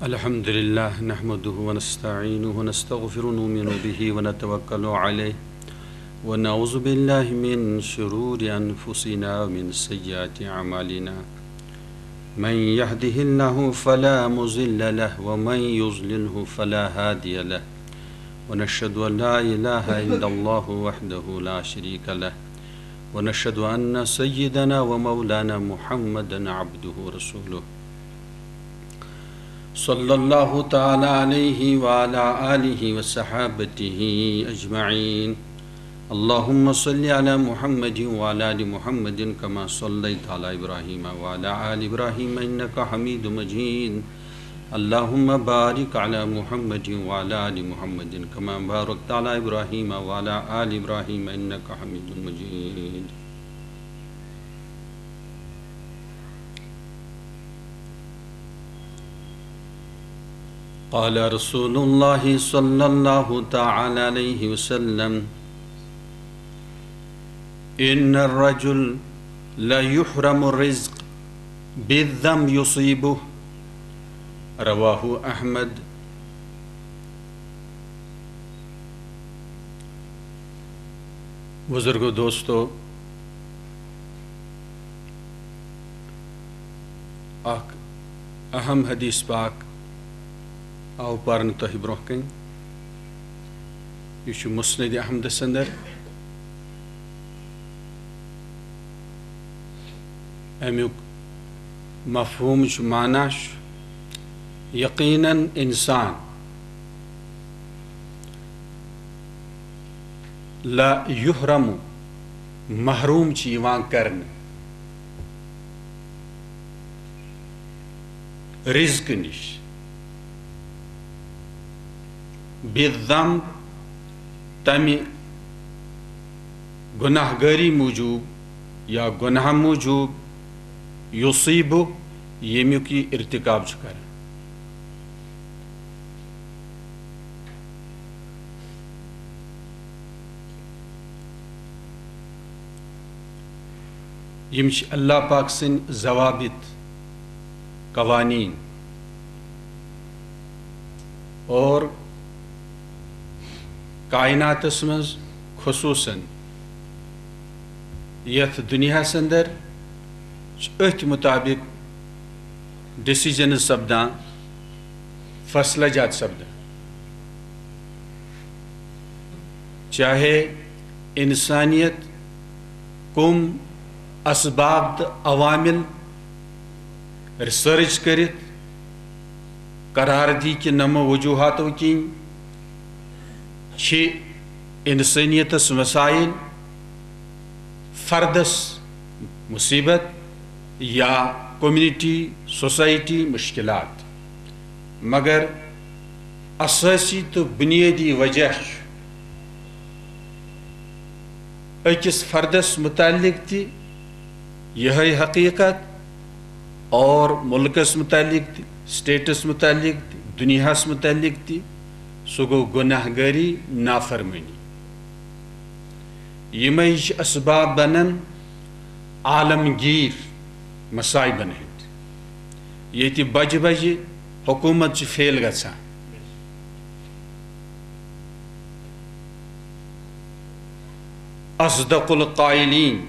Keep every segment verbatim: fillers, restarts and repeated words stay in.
الحمد لله، نحمده ونستعينه ونستغفره، نؤمن به ونتوكل عليه، ونعوذ بالله من شرور أنفسنا ومن سيئات أعمالنا. من يهده الله فلا مضل له، ومن يضلله فلا هادي له، ونشهد أن لا إله إلا الله وحده لا شريك له، ونشهد أن سيدنا ومولانا محمدا عبده ورسوله، صلى الله تعالى عليه وعلى آله وصحابته أجمعين. اللهم صل على محمد وعلى آل محمد كما صليت على إبراهيم وعلى آل إبراهيم إنك حميد مجيد. اللهم بارك على محمد وعلى آل محمد كما باركت على إبراهيم وعلى آل إبراهيم إنك حميد مجيد. قال رسول الله صلى الله تعالى عليه وسلم: إن الرجل ليحرم الرزق بالذنب يصيبه. رواه أحمد. بزرگو، دوستو، اکھ اہم حدیث پاک آو پرنہٕ تۄہہِ برونٛہہ کنہِ۔ یہِ چھُ مسند احمدس اندر۔ امیُک مفہوم چھُ، معنی چھُ، یقیناً انسان لا یحرم، محروم چھِ یِوان کرنہٕ رزقہٕ نِش، بالذنب، تمہِ گناہ گٲری موٗجوٗب یا گناہ موٗجوٗب، یصیبہ، ییٚمیُک یہِ ارتکاب چھُ کران۔ یِم چھِ اللہ پاک سٕنٛدۍ ضوابط، قوانین، اور کائناتس منٛز خصوصاً یتھ دنیاہس اندر چھِ أتھۍ مطابق decisions سپدان، فیصلہٕ جات سپدان۔ چاہے انسانیت کم اسباب تہٕ عوامل research کٔرِتھ قرار دی کہِ نمو وجوہاتو کِنۍ چھِ انسانیتس مسائل، فردس مصیبت یا community، society مشکلات، مگر اساسی تہٕ بنیٲدی وجہ چھُ أکِس فردس متعلق تہِ یِہے حقیقت اور ملکس متعلق تہِ، stateس متعلق تہِ، دنیاہس متعلق تہِ، سُہ گوٚو گناہ گٲری، نافرمٲنی۔ یِمے چھِ اسباب بنان عالمگیر مصائبن ہٕنٛدۍ، ییٚتہِ بجہِ بجہِ حکومت چھِ fail گژھان۔ اصدق القائلین،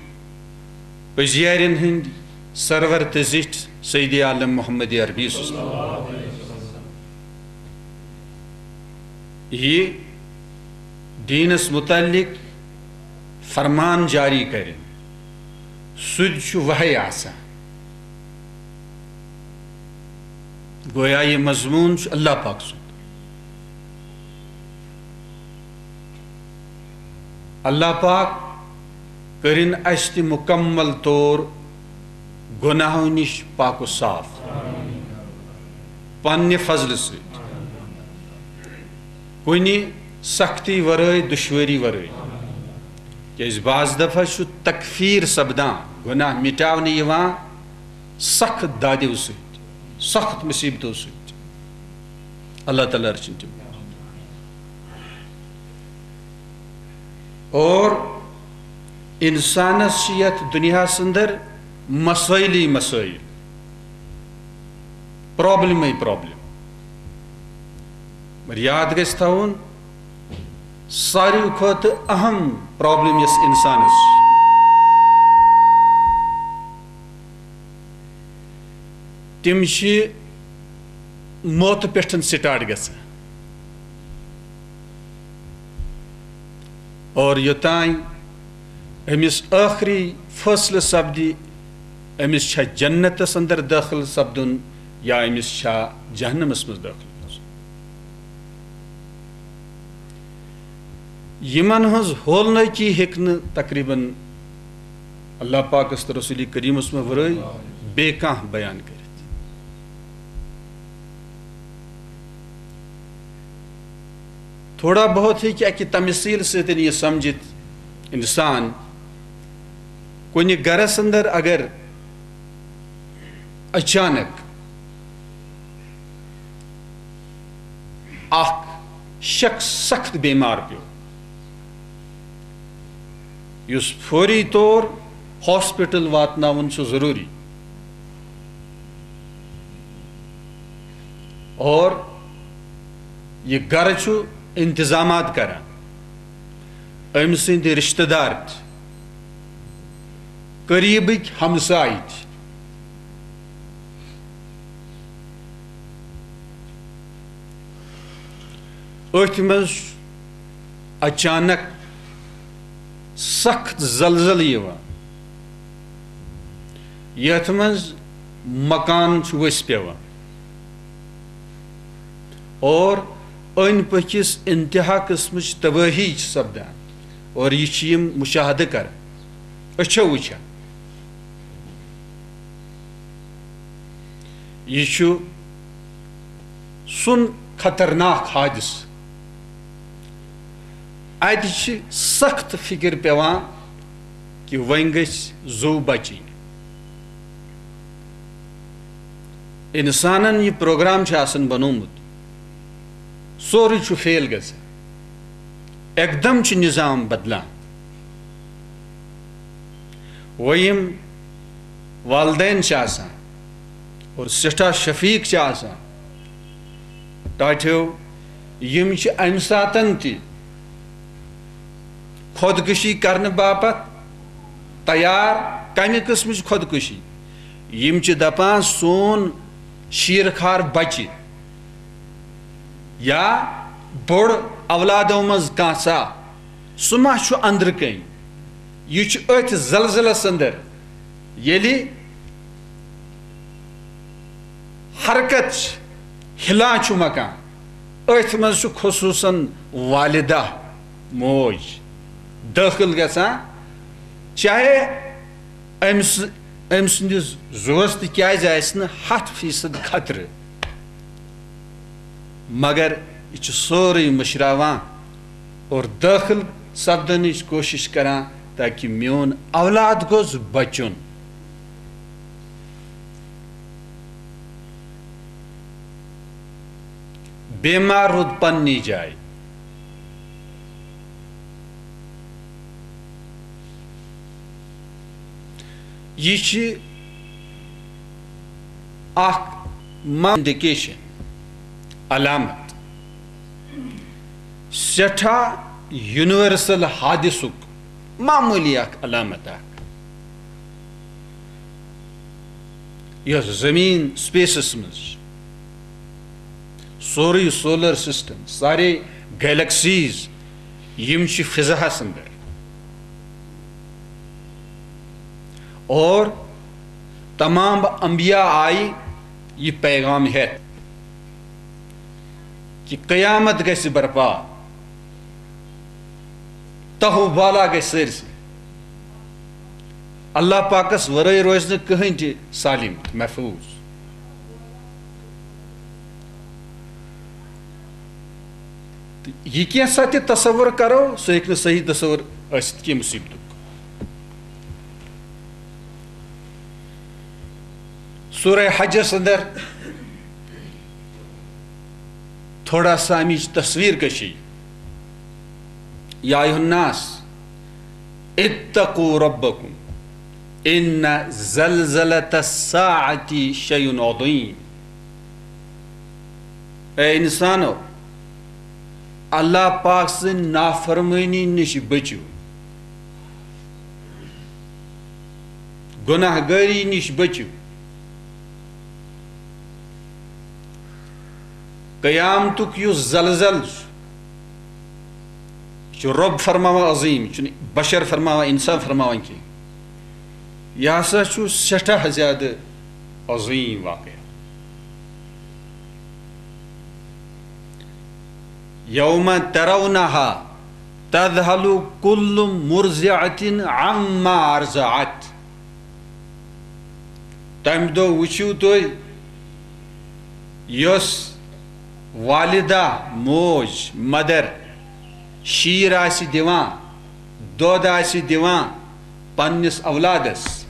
پٔزیارٮ۪ن ہٕنٛدۍ سرور تہٕ زِٹھۍ سید عالم محمد عربی صٲب۔ یہِ دیٖنس متعلق فرمان جاری کرِ، سُہ تہِ چھُ وحی آسان۔ گویا یہِ مضموٗن چھُ اللہ پاک سُنٛد۔ اللہ پاک کٔرِن اَسہِ تہِ مُکمل طور گۄناہو نِش پاک و صاف پننہِ فضلہٕ سۭتۍ، کُنہِ سختی ورٲے، دُشوٲری ورٲے۔ کیازِ بعض دفعہ چھُ تکفیر سپدان، گۄناہ مٹاونہٕ یِوان سخت دادیو سۭتۍ، سخت مصیبتو سۭتۍ۔ اللہ تعالیٰ رٔچھِن تِم۔ اور انسانس چھِ یتھ دنیاہس اندر مسٲیلی مسٲیل، پرابلمے پرابلم۔ مگر یاد گژھِ تھاوُن، ساروی کھۄتہٕ اہم پرابلم یۄس انسانس چھِ، تِم چھِ موتہٕ پٮ۪ٹھ سٹارٹ گژھان۔ اور یوٚتام أمِس ٲخری فٲصلہٕ سپدِ، أمِس چھا جنتس اندر دٲخل سپدُن یا أمِس چھا جہنمس منٛز دٲخل گژھُن۔ یِمن ہٕنٛز ہولنٲکی ہیٚکہِ نہٕ تقریباً اللہ پاکس تہٕ رسول کریمس منٛز ورٲے بیٚیہِ کانٛہہ بیان کٔرِتھ۔ تھوڑا بہت ہیٚکہِ اَکہِ تمثیٖل سۭتۍ یہِ سمجھِتھ اِنسان، کُنہِ گرس اندر اگر اچانک اکھ شخص سخت بیمار پیوٚو، یُس فوری طور ہاسپٹل واتناوُن چھُ ضروٗری۔ اور یہِ گرٕ چھُ انتظامات کران، أمۍ سٕنٛدۍ رشتہٕ دار تہِ، قریبٕکۍ ہمسایہِ تہِ۔ أتھۍ منٛز چھُ اچانک سخت زلزلہٕ یِوان، یتھ منٛز مکان چھُ ؤسۍ پٮ۪وان اور أنٛدۍ پٔکِس انتہا قٕسمٕچ تبٲہی چھِ سپدان، اور یہِ چھِ یِم مشاہدٕ کران، أچھو وٕچھان۔ یہِ چھُ سُن خطرناک حادثہٕ۔ اتہِ چھِ سخت فکر پٮ۪وان کہِ وۄنۍ گژھِ زُو بچٕنۍ۔ انسانن یہِ پروگرام چھُ آسان بنوومُت، سورُے چھُ فیل گژھان۔ اکدم چھُ نظام بدلان۔ وۄنۍ یِم والدین چھِ آسان اور سٮ۪ٹھاہ شفیق چھِ آسان، ٹاٹھیو، یِم چھِ امہِ ساتن تہِ خودکشی کرنہٕ باپتھ تیار۔ کمہِ قٕسمٕچ خودکشی؟ یِم چھِ دپان، سون شیرخوار بچہِ یا بوٚڑ اولادو منٛز کانٛژھا، سُہ ما چھُ أنٛدرٕ کنۍ؟ یہِ چھُ أتھۍ زلزلس اندر، ییٚلہِ حرکت چھِ، ہِلان چھُ مکان، أتھۍ منٛز چھُ خصوٗصاً والدہ، موج، دٲخل گژھان، چاہے أمۍ س-، أمۍ سٕنٛدِس زُوَس تہِ کیٛازِ آسہِ نہٕ ہَتھ فیٖصد خطرٕ، مگر یہِ چھُ سورُے مٔشراوان اور دٲخل سپدنٕچ کوٗشِش کران، تاکہِ میون اولاد گوٚژھ بچُن۔ بیمار روٗد پننی جایہِ۔ یہِ چھِ اکھ ما-، انڈیکیشن، علامت، سٮ۪ٹھاہ یونیورسل حادثُک معموٗلی اکھ علامت اکھ، یۄس زٔمیٖن سپیسس منٛز چھِ، سورُے سولر سسٹم، سارے گیلیکسیز، یِم چھِ فضاہس اندر۔ اور تمام انبیاء آیہِ یہِ پیغام ہٮ۪تھ کہِ قیامت گژھِ برپا، تہو بالا گژھِ سٲرسٕے۔ اللہ پاکس ورٲے روزِ نہٕ کٕہٕنۍ تہِ سالم محفوظ۔ تہٕ یہِ کینٛژھا تہِ تصور کرو، سُہ ہیٚکہِ نہٕ صحیح تصور ٲسِتھ کینٛہہ مُصیبتُک۔ سورہ حجس اندر تھوڑا سا امِچ تصویر کشی۔ یا ایھا الناس اتقوا ربکم ان زلزلۃ الساعۃ شیء عظیم۔ اے انسانو، اللہ پاک سٕنٛدِ نافرمٲنی نِش بٔچِو، گۄناہ گٲری نِش بٔچِو۔ قیامتُک یُس زلزل چھُ، یہِ چھُ رۄب فرماوان عظیٖم، یہِ چھُنہٕ بشر فرماوان، اِنسان فرماوان کینٛہہ۔ یہِ ہسا چھُ سٮ۪ٹھاہ زیادٕ عظیٖم واقعہ۔ یوم ترونہا تذہل کل مرضعة عما ارضعت۔ تمہِ دۄہ وٕچھِو تُہۍ، یۄس والدہ، موج، مدر، شیٖر آسہِ دِوان، دۄد آسہِ دِوان پننِس اولادس،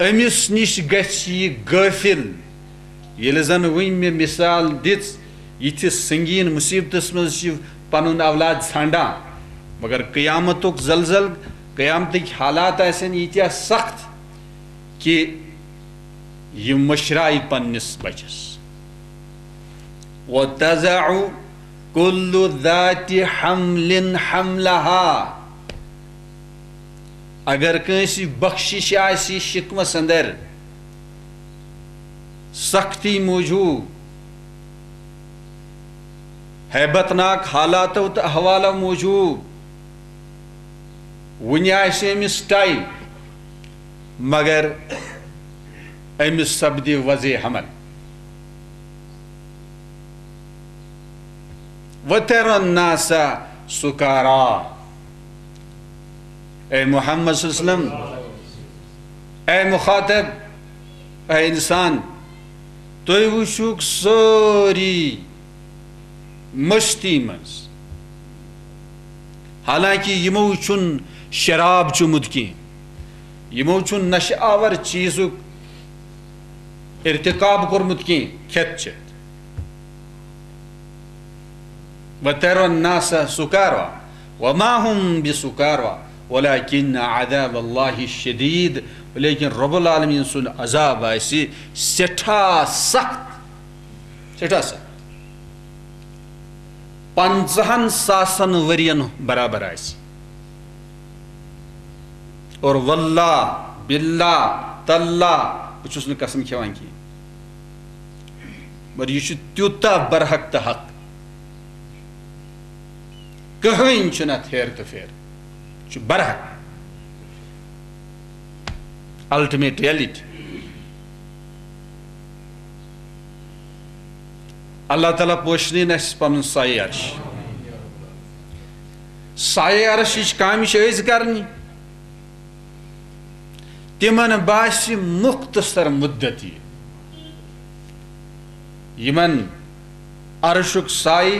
أمِس نِش گژھِ یہِ غٲفِل۔ ییٚلہِ زن وٕنۍ مےٚ مثال دِژ، یِتھِس سنگین مصیبتس منٛز چھِ پنُن اولاد ژھانڈان، مگر قیامتُک زلزل، قیامتٕکۍ حالات آسن ییٖتیٛاہ سخت کہِ یہِ مٔشراے پننِس بچس۔ وتضع کل ذات حمل حملها۔ اگر کٲنٛسہِ بخشش آسہِ شکمس اندر، سختی موجوب، ہیبت ناک حالاتو تہٕ احوالو موجوب، وُنہِ آسہِ أمِس ٹائم، مگر أمِس سپدِ وضع حمل۔ وتر الناس سکارا۔ اے محمد صلی اللہ علیہ وسلم، اے مخاطب، اے انسان، تُہۍ وٕچھِو سٲری مستی منٛز، حالانکہ یِمو چھُنہٕ شراب چوٚمُت کینٛہہ، یِمو چھُنہٕ نشہٕ آور چیٖزُک ارتکاب کوٚرمُت کینٛہہ، کھٮ۪تھ چٮ۪تھ۔ وتر الناس سکارا وما هم بسکارا ولكن عذاب الله شديد۔ لیکن رب العالمین سُنٛد عذاب آسہِ سٮ۪ٹھاہ سخت، سٮ۪ٹھاہ سخت۔ پنٛژاہن ساسن ؤرین برابر آسہِ۔ اور واللہ، باللہ، تاللہ، بہٕ چھُس نہٕ قسم کھٮ۪وان کینٛہہ، مگر یہِ چھُ تیوٗتاہ برحق تہٕ حق، کٕہٕنۍ چھُنہٕ اتھ ہیر تہٕ پھیر، یہِ چھُ برحق۔ Ultimate reality. اللہ تعالیٰ پوشنٲوِن اَسہِ پنُن سایہِ عرش۔ سایہِ عرشٕچ کامہِ چھِ أسۍ کرنہِ۔ تِمن باسہِ مختصر مدتی۔ یِمن عرشُک سایہِ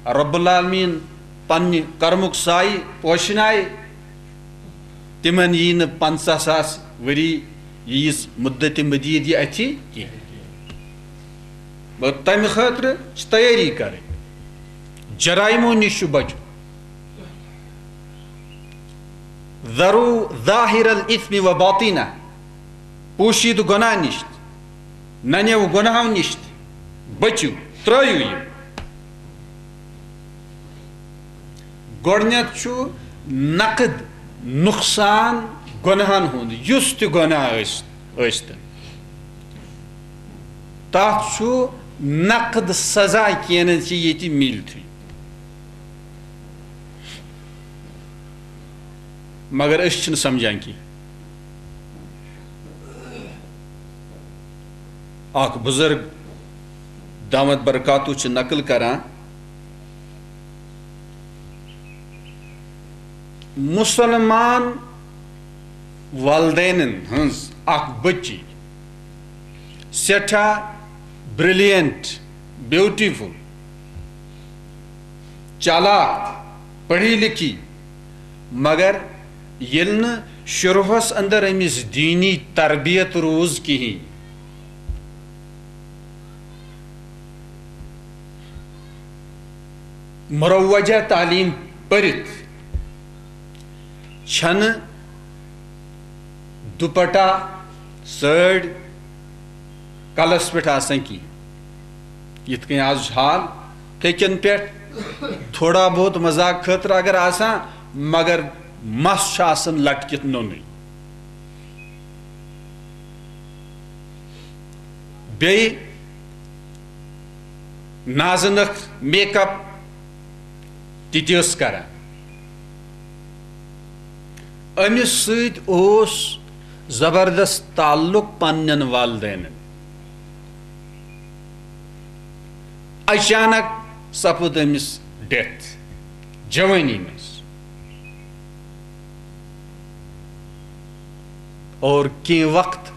رب العالمین پننہِ کرمُک سایہِ پوشنایہِ، تِمن یی نہٕ پنٛژاہ ساس ؤری ییٖژ مدت مدید یہِ اَتھِ کینٛہہ۔ مگر تَمہِ خٲطرٕ چھِ تیٲری کرٕنۍ، جرائمو نِش چھُ بچُن۔ ذرو ظاہر الاثم و باطنہ، پوشیدٕ گۄناہ نِش، ننیو گۄناہو نِش بٔچِو، ترٲیِو یِم۔ گۄڈٕنیتھ چھُ نقد نقصان گۄناہن ہُنٛد، یُس تہِ گۄناہ ٲسۍ، ٲسۍتن۔ تَتھ چھُ نقد سزا کینٛہہ نہٕ چھِ ییٚتہِ مِلتھٕے۔ مگر أسۍ چھِنہٕ سمجھان کینٛہہ۔ اکھ بزرگ دامت برکاتو چھِ نقل کران، مسلمان والدینن ہٕنٛز اکھ بچی، سٮ۪ٹھاہ برلینٹ، بیوٹیفل، چالاک، پڑھی لکھی، مگر ییٚلہِ نہٕ شروٗعس اندر أمِس دیٖنی تربیت روٗز کِہیٖنۍ، مروجہ تعلیٖم پٔرِتھ چھنہٕ دوپٹہ سٲڑۍ کلس پٮ۪ٹھ آسان کینٛہہ۔ یِتھ کٔنۍ آز چھُ حال، پھیٚکٮ۪ن پٮ۪ٹھ تھوڑا بہت مذاق خٲطرٕ اگر آسان، مگر مس چھُ آسان لٹکِتھ نوٚنُے۔ بیٚیہِ نازٕ نٔکھ، میک اپ تہِ تہِ ٲس کران۔ أمِس سۭتۍ اوس زبردست تعلق پننٮ۪ن والدینن۔ اچانک سپُد أمِس ڈیتھ جوٲنی منٛز۔ اور کینٛہہ وقت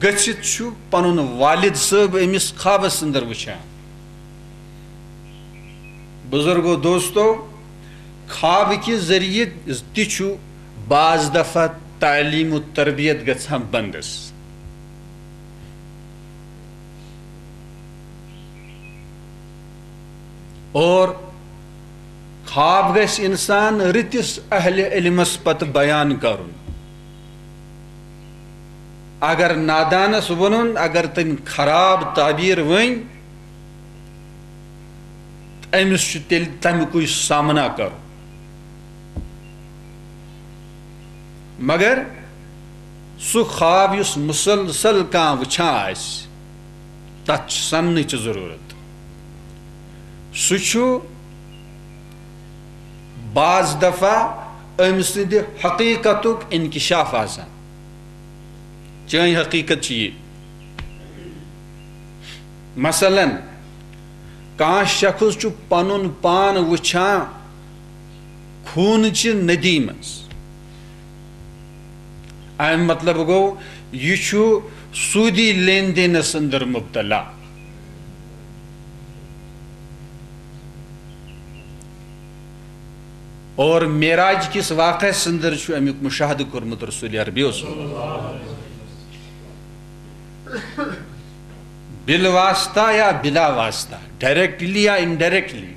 گٔژھِتھ چھُ پنُن والد صٲب أمِس خوابس اندر وٕچھان۔ بزرگو دوستو، خواب کہِ ذٔریعہٕ تہِ چھُ بعض دفعہ تعلیم و تربیت گژھان بندس۔ اور خواب گژھِ انسان رٕتِس اہل علمس پتہٕ بیان کرُن۔ اگر نادانس ووٚنُن، اگر تٔمۍ خراب تعبیر ؤنۍ، أمِس چھُ تیٚلہِ تَمیُکُے سامنا کرُن۔ مگر سُہ خواب یُس مُسلسل کانٛہہ وٕچھان آسہِ، تَتھ چھِ سَننٕچ ضروٗرت۔ سُہ چھُ بعض دفعہ أمۍ سٕنٛدِ حقیقتُک انکشاف آسان۔ چٲنۍ حقیقت چھِ یہِ۔ مثلاً، کانٛہہ شخص چھُ پنُن پان وٕچھان خوٗنہٕ چہِ ندی منٛز۔ اَمیُک مطلب گوٚو، یہِ چھُ سوٗدی لین دینس اندر مبتلا۔ اور معراج کِس واقعس اندر چھُ اَمیُک مشاہدٕ کوٚرمُت رسول عربیو صلی اللہ علیہ وسلم۔ بالواسطہ یا بلا واسطہ، ڈائریکٹلی یا انڈائریکٹلی،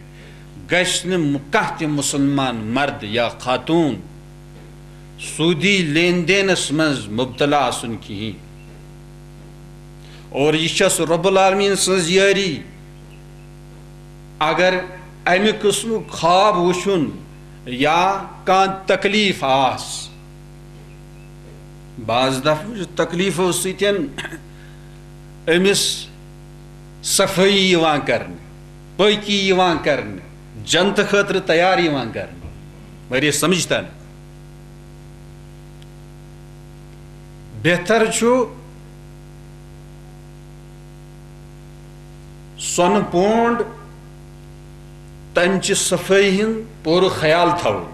گژھِ نہٕ کانٛہہ تہِ مسلمان مرد یا خاتون سودی لین دینس منٛز مبتلا آسُن کِہیٖنۍ۔ اور یہِ چھس رب العالمین سٕنٛز یٲری۔ اگر امہِ قٕسمُک خواب وٕچھُن یا کانٛہہ تکلیف آس، بعض دفعہ چھُ تکلیفو سۭتۍ أمِس صفٲیی یِوان کرنہٕ، پٲکی یِوان کرنہٕ، جنتہٕ خٲطرٕ تیار یِوان کرنہٕ۔ واریاہ سمجھتا نہٕ۔ بہتر چھُ سۄنہٕ پونڈ، تمہِ چہِ صفٲیی ہُنٛد پوٗرٕ خیال تھاوُن۔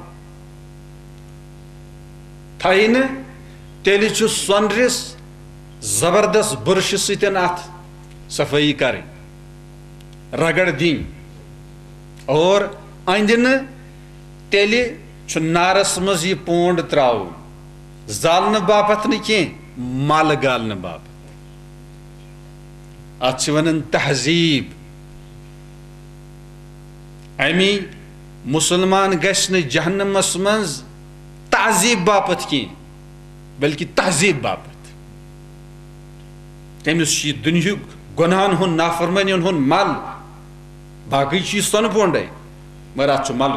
تھایہِ نہٕ، تیٚلہِ چھُ سۄنرِس زبردست برشہٕ سۭتۍ اتھ صفٲیی کرٕنۍ، رگڑ دِنۍ۔ اور أنٛدِ نہٕ، تیٚلہِ چھُ نارس منٛز یہِ پونڈ تراوُن، زالنہٕ باپتھ نہٕ کینٛہہ، مل گالنہٕ باپتھ۔ اتھ چھِ ونان تہذیب۔ امی مسلمان گژھِ نہٕ جہنمس منٛز تعذیب باپتھ کینٛہہ، بلکہ تہذیب باپتھ۔ تٔمِس چھُ یہِ دُنیہُک گۄناہن ہُنٛد، نافرمٲنین ہُنٛد مل، باقٕے چھُ یہِ سۄنہٕ پونڈے، مگر اتھ چھُ مل۔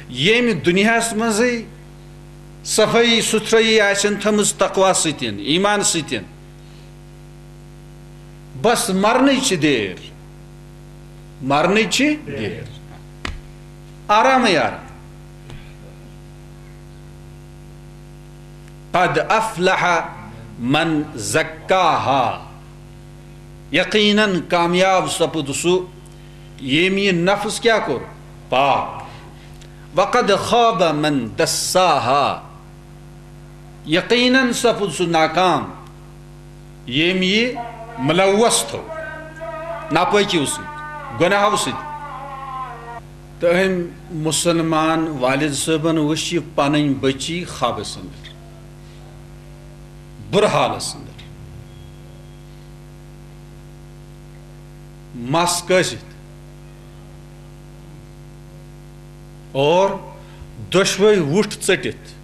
ییٚمہِ دُنیاہس منٛزٕے صفٲیی سُتھرٲیی آسن تھٲمٕژ تقوا سۭتۍ، ایمان سۭتۍ، بس مرنٕچ چھِ دیر، مرنٕچ چھِ دیر۔ آرامٕے آرام۔ قد افلح من زکاہا۔ یقیناً کامیاب سپُد سُہ، ییٚمۍ یہِ نفس کیٛاہ کوٚر؟ پاک۔ وقد خاب من دساہا۔ یقیناً سپُد سُہ ناکام، ییٚمۍ یہِ ملوث تھوٚو ناپٲکیو سۭتۍ، گۄناہو سۭتۍ۔ تہٕ أمۍ مسلمان والد صٲبن وٕچھ یہِ پنٕنۍ بچی خوابس اندر، بُرٕ حالس اندر، مس کٲسِتھ اور دۄشوے وُٹھ ژٔٹِتھ۔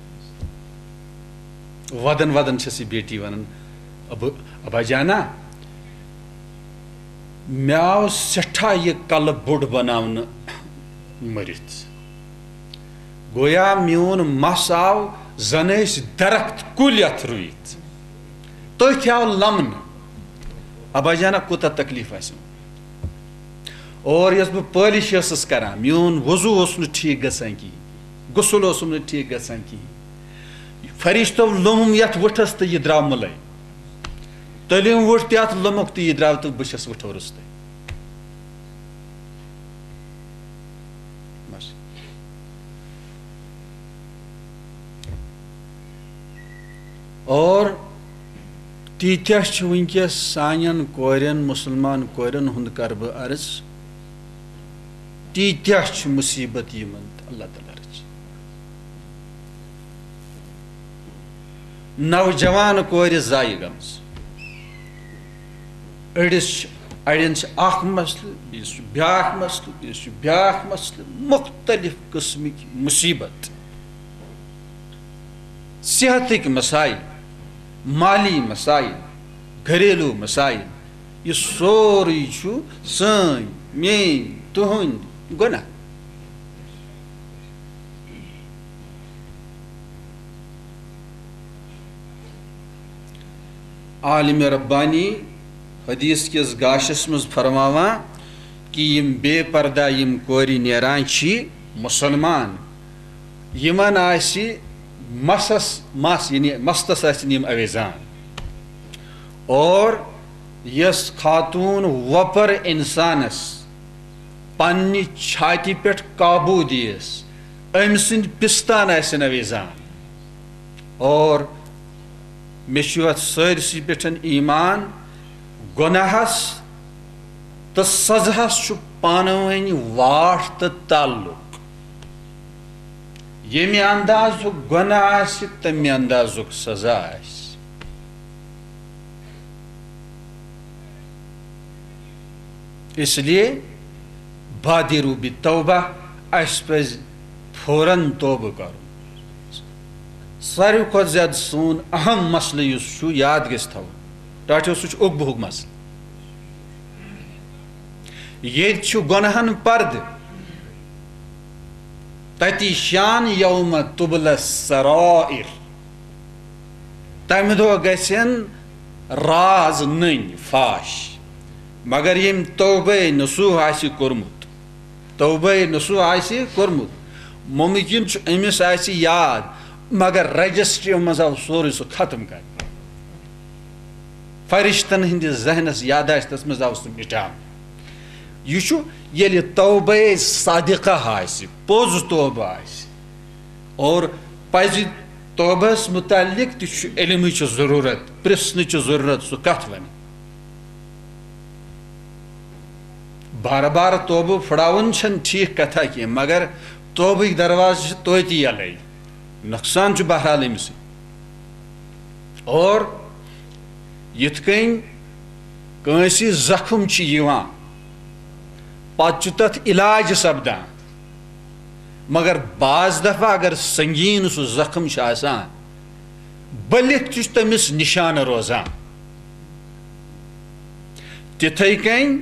ودن ودن چھس یہِ بیٹی ونان، "ابو، ابا جانا، مےٚ آو سٮ۪ٹھاہ یہِ کلہٕ بوٚڑ بناونہٕ مٔرِتھ۔ گویا میون مس آو زن ٲسۍ درخت کُلۍ اتھ رُوِتھ۔ تٔتھۍ آو لمنہٕ۔ ابا جانا کوٗتاہ تکلیف آسہِ۔ اور یۄس بہٕ پٲلِش ٲسٕس کران، میون وضو اوس نہٕ ٹھیٖک گژھان کِہیٖنۍ، غسل اوسُم نہٕ ٹھیٖک گژھان کِہیٖنۍ۔ فرشتو لوٚمُم یتھ وٕٹھس تہٕ یہِ درٛاو مُلے۔ تٔلِم وٕٹھ تہِ اتھ لوٚمُکھ تہٕ یہِ درٛاو تہٕ بہٕ چھَس وٕٹھو روٚستُے۔ بس۔ اور تیٖتیٛاہ چھِ وٕنکیٚس سانٮ۪ن کورٮ۪ن، مُسلمان کورٮ۪ن ہُنٛد کرٕ بہٕ عرض، تیٖتیٛاہ چھِ مُصیٖبت یِمن، تہٕ اللہ تعالیٰ رٔچھِ۔ نوجوان کورِ ضایع گٔمٕژ۔ أڑِس چھِ، اَڑٮ۪ن چھِ اَکھ مسلہٕ، بیٚیِس چھُ بیٛاکھ مسلہٕ، بیٚیِس چھُ بیٛاکھ مسلہٕ، مُختٔلِف قٕسمٕکۍ مُصیٖبت۔ صحتٕکۍ مسائل، مالی مسائل، گھریلو مسائل، یہِ سورُے چھُ سٲنۍ، میٲنۍ، تُہنٛدۍ گۄناہ۔ عالم ربانی حدیث کِس گاشس منٛز فرماوان کہِ یِم بے پردہ یِم کورِ نیران چھِ، مُسلمان، یِمن آسہِ مسس مس، یعنی مستس آسن یِم اویزان۔ اور یۄس خاتون وۄپر انسانس پننہِ چھاتہِ پٮ۪ٹھ قابو دِیس، أمۍ سٕنٛدۍ پستان آسن اویزان۔ اور مےٚ چھُ اتھ سٲرسٕے پٮ۪ٹھ ایمان، گۄناہس تہٕ سزہس چھُ پانہٕ ؤنۍ واٹھ تہٕ تعلق۔ ییٚمہِ اندازُک گۄناہ آسہِ، تَمہِ اندازُک سزا آسہِ۔ اس لیے بادروا بالتوبہ، اَسہِ پَزِ فوراً توبہٕ کرُن۔ ساروی کھۄتہٕ زیادٕ سون اہم مسلہٕ یُس چھُ، یاد گژھِ تھاوُن، ٹاٹھیو، سُہ چھُ اُکبہُک مسلہٕ۔ ییٚتہِ چھُ گۄناہن پردٕ۔ تتی شان یوم تبل السرائر۔ تمہِ دۄہ گژھن راز نٔنۍ فاش۔ مگر ییٚمۍ توبے نصوح آسہِ کوٚرمُت، توبے نصوح آسہِ کوٚرمُت، ممکن چھُ أمِس آسہِ یاد، مگر رجسٹری منٛز آو سورُے سُہ ختم کرنہٕ۔ فرشتن ہٕنٛدِس ذہنس یاداشتس منٛز آو سُہ مٹاونہٕ۔ یہِ چھُ ییٚلہِ توبہ صادقہ آسہِ، پوٚز توبہ آسہِ، اور پزِ توبہس متعلق تہِ چھُ علمٕچ ضروٗرت، پرژھنٕچ ضروٗرت، سُہ کتھ ونہِ۔ بار بار توبہٕ پھٕڑاوُن چھنہٕ ٹھیک کتھا کینٛہہ، مگر توبٕکۍ دروازٕ چھِ توتہِ یلے، نۄقصان چھُ بہرحال أمِسٕے۔ اور یِتھ کٔنۍ کٲنٛسہِ زخم چھُ یِوان، پتہٕ چھُ تتھ علاج سپدان، مگر بعض دفعہ اگر سنگین سُہ زخم چھُ آسان، بٔلِتھ تہِ چھُ تٔمِس نشانہٕ روزان۔ تِتھے کٔنۍ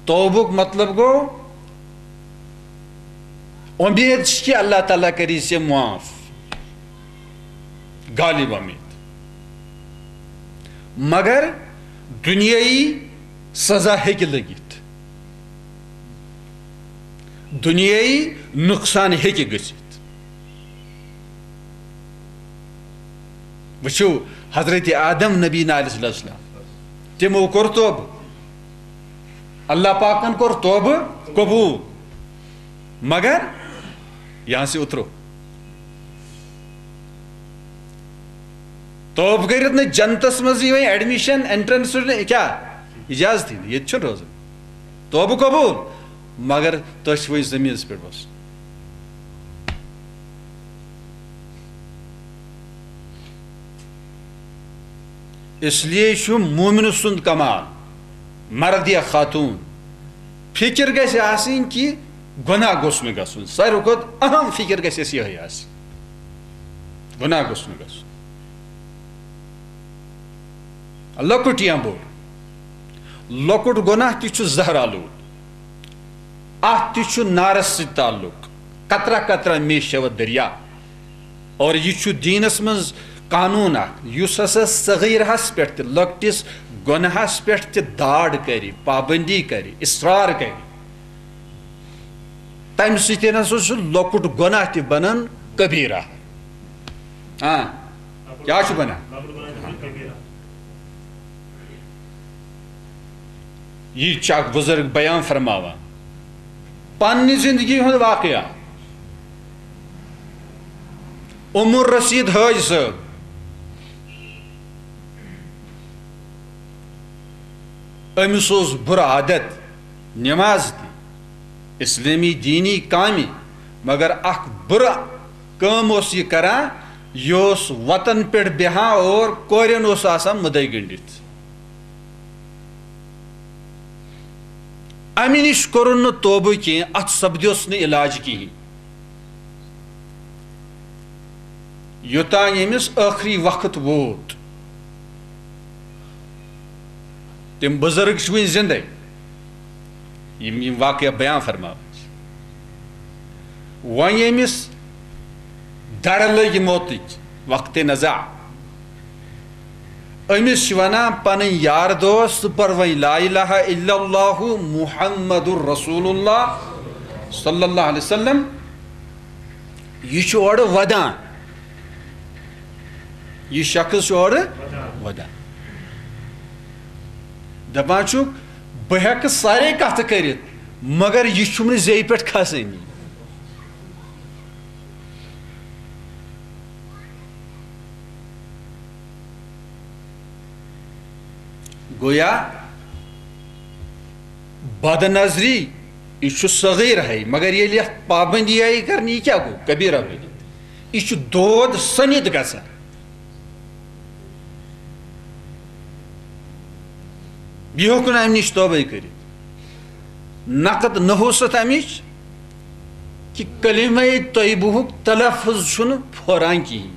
توبُک مطلب گوٚو، اُمید چھِ کہِ اللہ تعالیٰ کَری ژےٚ معاف، غالب اُمید۔ مگر دُنیٲیی سزا ہیٚکہِ لٔگِتھ، دُنیٲیی نۄقصان ہیٚکہِ گٔژھِتھ۔ وٕچھِو، حضرت آدم نبی علیہ السلام، تِمو کوٚر توبہٕ، اللہ پاکن کوٚر توبہٕ قبوٗل، مگر یہاں سے اترو۔ توبہٕ کٔرِتھ نہٕ جنتس منٛز یی وۄنۍ ایڈمِشن، انٹرنس نہٕ، کیٛاہ اجازتٕے نہٕ، ییٚتہِ چھُنہٕ روزان۔ توبہٕ قبوٗل، مگر تۄہہِ چھُ وۄنۍ زٔمیٖنس پٮ۪ٹھ بسُن۔ اس لیے چھُ مومن سُنٛد کمال، مرد یا خاتون، فکر گژھِ آسٕنۍ کہِ گۄناہ گوٚژھ نہٕ گژھُن۔ ساروی کھۄتہٕ اہم فکر گژھِ اَسہِ یِہوٚے آسٕنۍ، گۄناہ گوٚژھ نہٕ گژھُن، لۄکُٹ یا بوٚڑ۔ لۄکُٹ گۄناہ تہِ چھُ زہر آلود۔ اتھ تہِ چھُ نارس سۭتۍ تعلق۔ قطرہ قطرہ میں شود دریا۔ اور یہِ چھُ دیٖنس منٛز قانوٗن اکھ، یُس ہسا صغیرہس پٮ۪ٹھ تہِ، لۄکٹِس گۄناہس پٮ۪ٹھ تہِ داڑ کرِ، پابندی کرِ، اصرار کرِ، تمہِ سۭتۍ ہسا چھُ لۄکُٹ گۄناہ تہِ بنان کبیرہ۔ آ، کیٛاہ چھُ بنان؟ یہِ چھُ اکھ بزرگ بیان فرماوان۔ پننہِ زندگی ہُنٛد واقعہ۔ عمر رشید حٲج صٲب، أمِس اوس بُرٕ عادت، نماز تہِ، اسلٲمی دینی کامہِ، مگر اکھ بُرٕ کٲم اوس یہِ کران، یہِ اوس وتن پٮ۪ٹھ بیہان اور کورٮ۪ن اوس آسان مُدے گٔنڈِتھ۔ امہِ نِش کوٚرُن نہٕ توبہٕ کینٛہہ، اتھ سپدیوس نہٕ علاج کِہینۍ۔ یوٚتام ییٚمِس ٲخری وقت ووت۔ تِم بُزرگ چھِ وٕنہِ زِندَے، یِم یِم واقعہ بیان فرماوان چھِ۔ وۄنۍ ییٚمِس دَرٕ لٔگۍ موتٕکۍ، وقتِ نزع، أمِس چھِ وَنان پَنٕنۍ یار دوست، ژٕ پَر وۄنۍ لا الہ الا اللہ محمد رسول اللہ صلی اللہ علیہ وسلم۔ یہِ چھُ اورٕ وَدان، یہِ شخص چھُ اورٕ وَدان۔ دَپان چھُکھ، بہٕ ہٮ۪کہٕ سارے کَتھٕ کٔرِتھ، مگر یہِ چھُم نہٕ زیٚیہِ پٮ۪ٹھ کھسٲنی۔ گویا بد نظری، یہِ چھُ صغیر ہے، مگر ییٚلہِ یَتھ پابندی آیہِ کرنہٕ، یہِ کیٛاہ گوٚو؟ کبیرہ بٔنِتھ۔ یہِ چھُ دود سٔنِتھ گژھان۔ یہِ ہیوٚک نہٕ اَمہِ نِش توبَے کٔرِتھ۔ نقد نحوست اَمِچ کہِ کلمہ طیبہُک تلفظ چھُنہٕ پھوران کِہیٖنۍ۔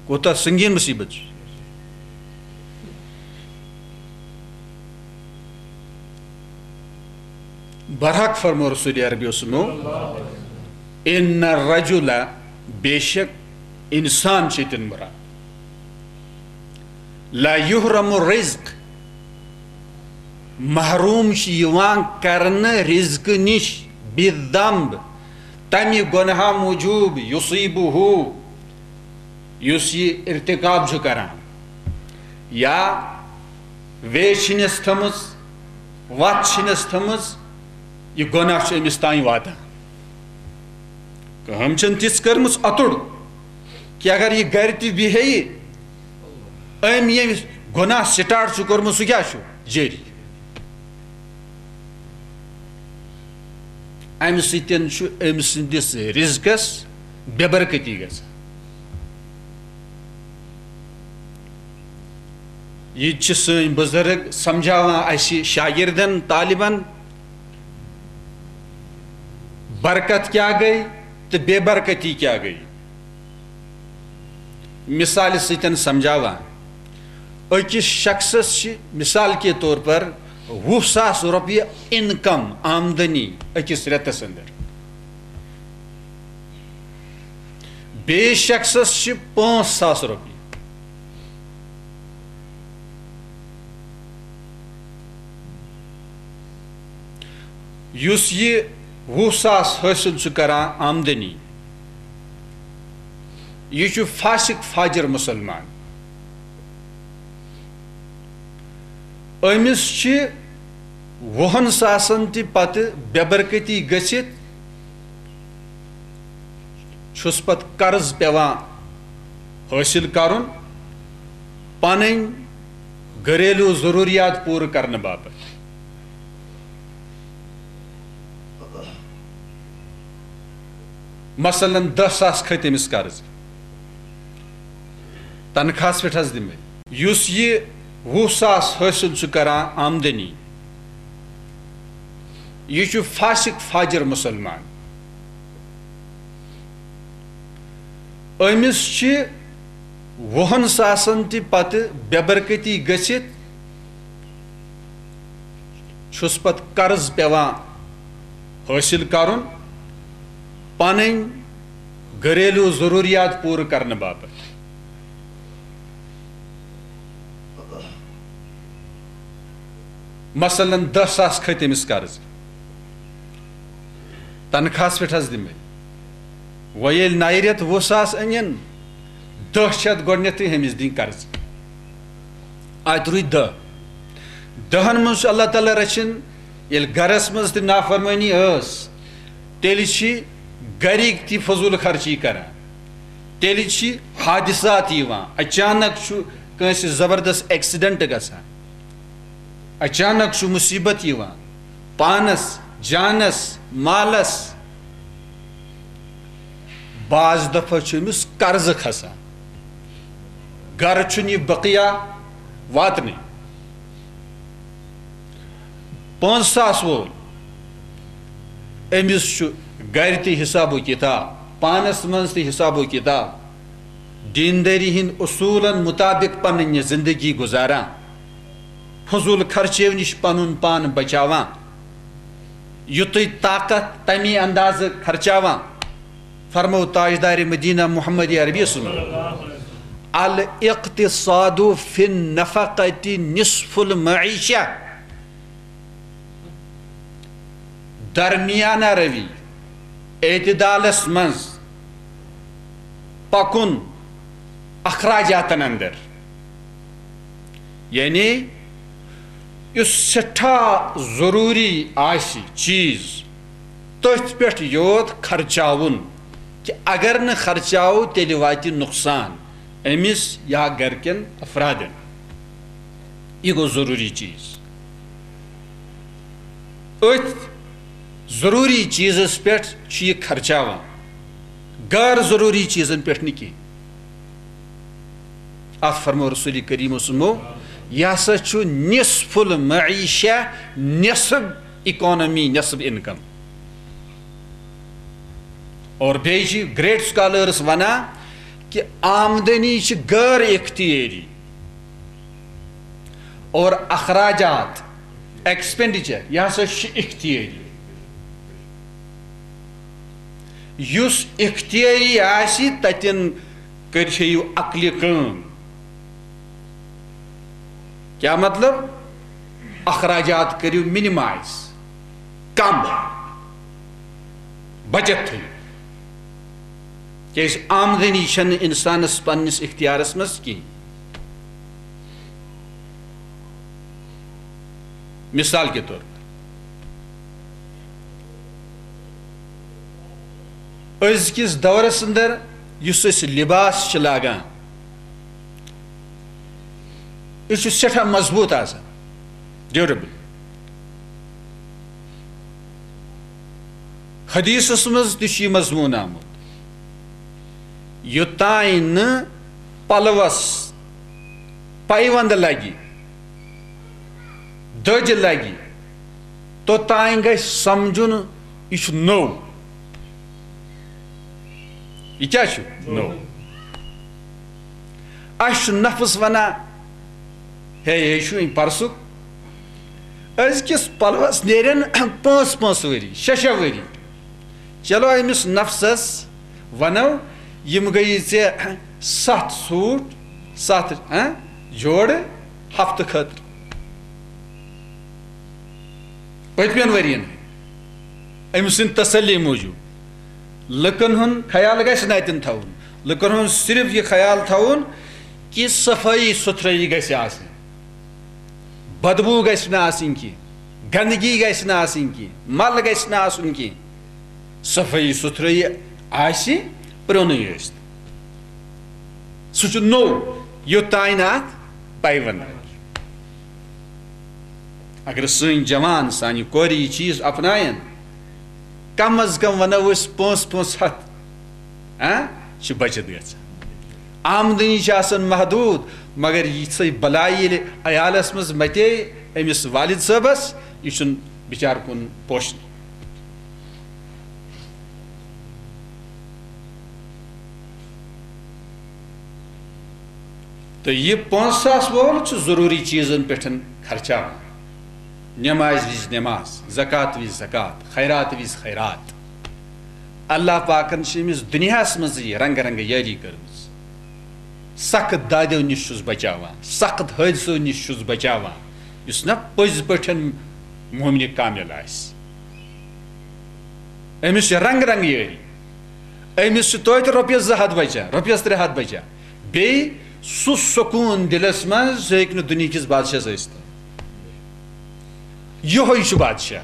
کوتاہ سنگین مصیبت چھُ۔ برحق فرمو رسول عربی سُنو، ان الرجل، بے شک انسان چھُ ییٚتٮ۪ن مراد، لا یحرم الرزق، محروم چھُ یِوان کرنہٕ رزقہٕ نِش، بالذنب، تمہِ گۄناہ موٗجوٗب، یصیبہ، یُس یہِ ارتکاب چھُ کران، یا وے چھِنس تھٲمٕژ، وتھ چھِنس تھٲمٕژ، یہِ گۄناہ چھُ أمِس تام واتان۔ کٲم چھَنہٕ تِژھ کٔرمٕژ اَتُر کہِ اگر یہِ گرِ تہِ بیٚہہِ، أمۍ ییٚمہِ گۄناہ سٹارٹ چھُ کوٚرمُت، سُہ کیٛاہ چھُ؟ جٲری۔ اَمہِ سۭتۍ چھُ أمۍ سٕنٛدِس رِزقَس بے برکتی گژھان۔ یہِ تہِ چھِ سٲنۍ بُزرگ سمجھاوان اَسہِ شاگردن، طالبن، برکت کیٛاہ گٔے تہٕ بے برکتی کیٛاہ گٔے۔ مثالہِ سۭتۍ سمجھاوان، أکِس شخصس چھِ مثال کے طور پر وُہ ساس رۄپیہِ انکم، آمدنی، أکِس رٮ۪تس اندر۔ بیٚیِس شخصس چھِ پانٛژھ ساس رۄپیہِ۔ یُس یہِ وُہ ساس حٲصِل چھُ کران آمدنی، یہِ چھُ فاسق فاجر مُسلمان۔ أمِس چھِ وُہن ساسن تہِ پتہٕ بے برکتی گٔژھِتھ، چھُس پتہٕ قرض پٮ۪وان حٲصِل کرُن، پنٕنۍ گھریلو ضروریات پوٗرٕ کرنہٕ باپتھ۔ مثلاً، دَہ ساس کھٔتۍ أمِس قرض، تنخواہس پٮ۪ٹھ حظ دِمے۔ یُس یہِ وُہ ساس حٲصِل چھُ کران آمدنی، یہِ چھُ فاسق فاجر مُسلمان۔ أمِس چھِ وُہن ساسن تہِ پتہٕ بے برکتی گٔژھِتھ چھُس پتہٕ قرض پٮ۪وان حٲصِل کرُن پنٕنۍ گھریلو ضروٗریات پوٗرٕ کرنہٕ باپتھ۔ مثلاً، دَہ ساس کھٔتۍ أمِس قرض، تنخواہس پٮ۪ٹھ حظ دِمے۔ وۄنۍ ییٚلہِ نَیہِ رٮ۪تہٕ وُہ ساس أنِن، دَہ چھِ اَتھ گۄڈٕنٮ۪تھٕے أمِس دِنۍ قرض۔ اَتہِ روٗدۍ دَہ۔ دَہَن منٛز چھُ اللہ تعالیٰ رَچھِن، ییٚلہِ گَرَس منٛز تہِ نافرمٲنی ٲس، تیٚلہِ چھِ گَرِکۍ تہِ فضوٗل خرچی کَران۔ تیٚلہِ چھِ حادثات یِوان، اچانک چھُ کٲنٛسہِ زبردست ایکسیڈنٹ گژھان، اچانک چھُ مصیبت یِوان پانس، جانس، مالس۔ بعض دفعہ چھُ أمِس قرضہٕ کھسان، گرٕ چھُنہٕ یہِ بقیہ واتنٕے۔ پانٛژھ ساس وول، أمِس چھُ گرِ تہِ حساب و کتاب، پانس منٛز تہِ حساب و کتاب، دیندٲری ہٕنٛدۍ اصوٗلن مطابق پنٕنۍ یہِ زندگی گُزاران، فضوٗل خرچیو نِش پنُن پان بچاوان، یُتُے طاقت تمی اندازٕ خرچاوان۔ فرمو تاجدار مدینہ محمد عربی صلی اللہ علیہ وسلم، الاقتصاد فی النفقۃ نصف المعیشہ۔ درمیانہ روی، اعتدالس منٛز پکُن اخراجاتن اندر، یعنی یُس سٮ۪ٹھاہ ضروٗری آسہِ چیٖز، تٔتھۍ پٮ۪ٹھ یوت خرچاوُن، کہِ اگر نہٕ خرچاوو، تیٚلہِ واتہِ نۄقصان أمِس یا گرِکٮ۪ن افرادن۔ یہِ گوٚو ضروٗری چیٖز۔ أتھۍ ضروٗری چیٖزس پٮ۪ٹھ چھُ یہِ خرچاوان، غٲر ضروٗری چیٖزن پٮ۪ٹھ نہٕ کینٛہہ۔ اتھ فرمو رسول کریم صلی اللہ علیہ وسلمو، یہِ ہسا چھُ نصف المعیشہ، نصف اکانومی، نصف انکم۔ اور بیٚیہِ چھِ گریٹ سکالرس ونان کہِ آمدنی چھِ غٲر اختیٲری اور اخراجات، ایکسپینڈیچر، یہِ ہسا چھِ اختیٲری۔ یُس اختیٲری آسہِ، تتٮ۪ن کٔرۍ تھٲیِو عقلہِ کٲم۔ کیا مطلب؟ اخراجات کٔرِو منیمائز، کم، بچت تھٲیِو۔ کیازِ آمدنی چھنہٕ انسانس پننِس اختیارس منٛز کینٛہہ۔ مثال کے طور پر، أزکِس دورس اندر یُس أسۍ لباس چھِ لاگان، یہِ چھُ سٮ۪ٹھاہ مضبوٗط آسان، ڈیوریبل۔ حدیثس منٛز تہِ چھُ یہِ مضموٗن آمُت، یوٚتام نہٕ پلوس پیوند لگہِ، دٔج لگہِ، توٚتام گژھِ سمجھُن، یہِ چھُ نوٚو۔ یہِ کیٛاہ چھُ؟ نوٚو۔ اَسہِ چھُ نفس ونان، ہے، یہِ چھُ وۄنۍ پرسُک۔ أزکِس پلوس نیرن پانٛژھ پانٛژھ ؤری، شےٚ شےٚ ؤری۔ چلو، أمِس نفسس ونو، یِم گٔیی ژےٚ ستھ سوٗٹ، ستھ، ہاں، جوڑٕ ہفتہٕ خٲطرٕ۔ پٔتمٮ۪ن ؤرین أمۍ سٕنٛدِ تسلی موٗجوٗب۔ لُکن ہُنٛد خیال گژھِ نہٕ اتٮ۪ن تھاوُن، لُکن ہُنٛد صرف یہِ خیال تھاوُن کہِ صفٲیی سُتھرٲیی گژھِ آسٕنۍ، بدبوٗ گژھِ نہٕ آسٕنۍ کینٛہہ، گندگی گژھِ نہٕ آسٕنۍ کینٛہہ، مل گژھِ نہٕ آسُن کینٛہہ۔ صفٲیی سُتھرٲیی آسہِ، پرٛونُے ٲسۍ۔ سُہ چھُ نوٚو، یوٚتام نہٕ اَتھ پیوند آسہِ۔ اگر سٲنۍ جوان، سانہِ کورِ یہِ چیٖز اپناون، کم از کم ونو أسۍ پانٛژھ پانٛژھ ہتھ، ہاں، چھِ بچت گژھان۔ آمدنی چھِ آسان محدوٗد، مگر یِژھے بلاے ییٚلہِ عیالس منٛز متے أمِس والد صٲبس، یہِ چھُنہٕ بِچارٕ کُن پوشنٕے۔ تہٕ یہِ پانٛژھ ساس وول چھُ ضروٗری چیٖزن پٮ۪ٹھ خرچاوان۔ نماز وِزِ نماز، زکات وِزِ زکات، خیرات وِزِ خیرات۔ اللہ پاکن چھِ أمِس دُنیاہس منٛز یہِ رنگہٕ رنگہٕ یٲری کٔرمٕژ۔ سخت دادیو نِش چھُس بچاوان، سخت حٲدثو نِش چھُس بچاوان۔ یُس نہ پٔزۍ پٲٹھۍ مومنہِ کامل آسہِ، أمِس چھِ رنگہٕ رنگہٕ یٲری۔ أمِس چھِ توتہِ رۄپیَس زٕ ہَتھ بچان، رۄپیَس ترٛےٚ ہَتھ بچان۔ بیٚیہِ سُہ سکوٗن دِلس منٛز، سُہ ہیٚکہِ نہٕ دُنیہکِس بادشاہس ٲسِتھ۔ یِہوٚے چھُ بادشاہ۔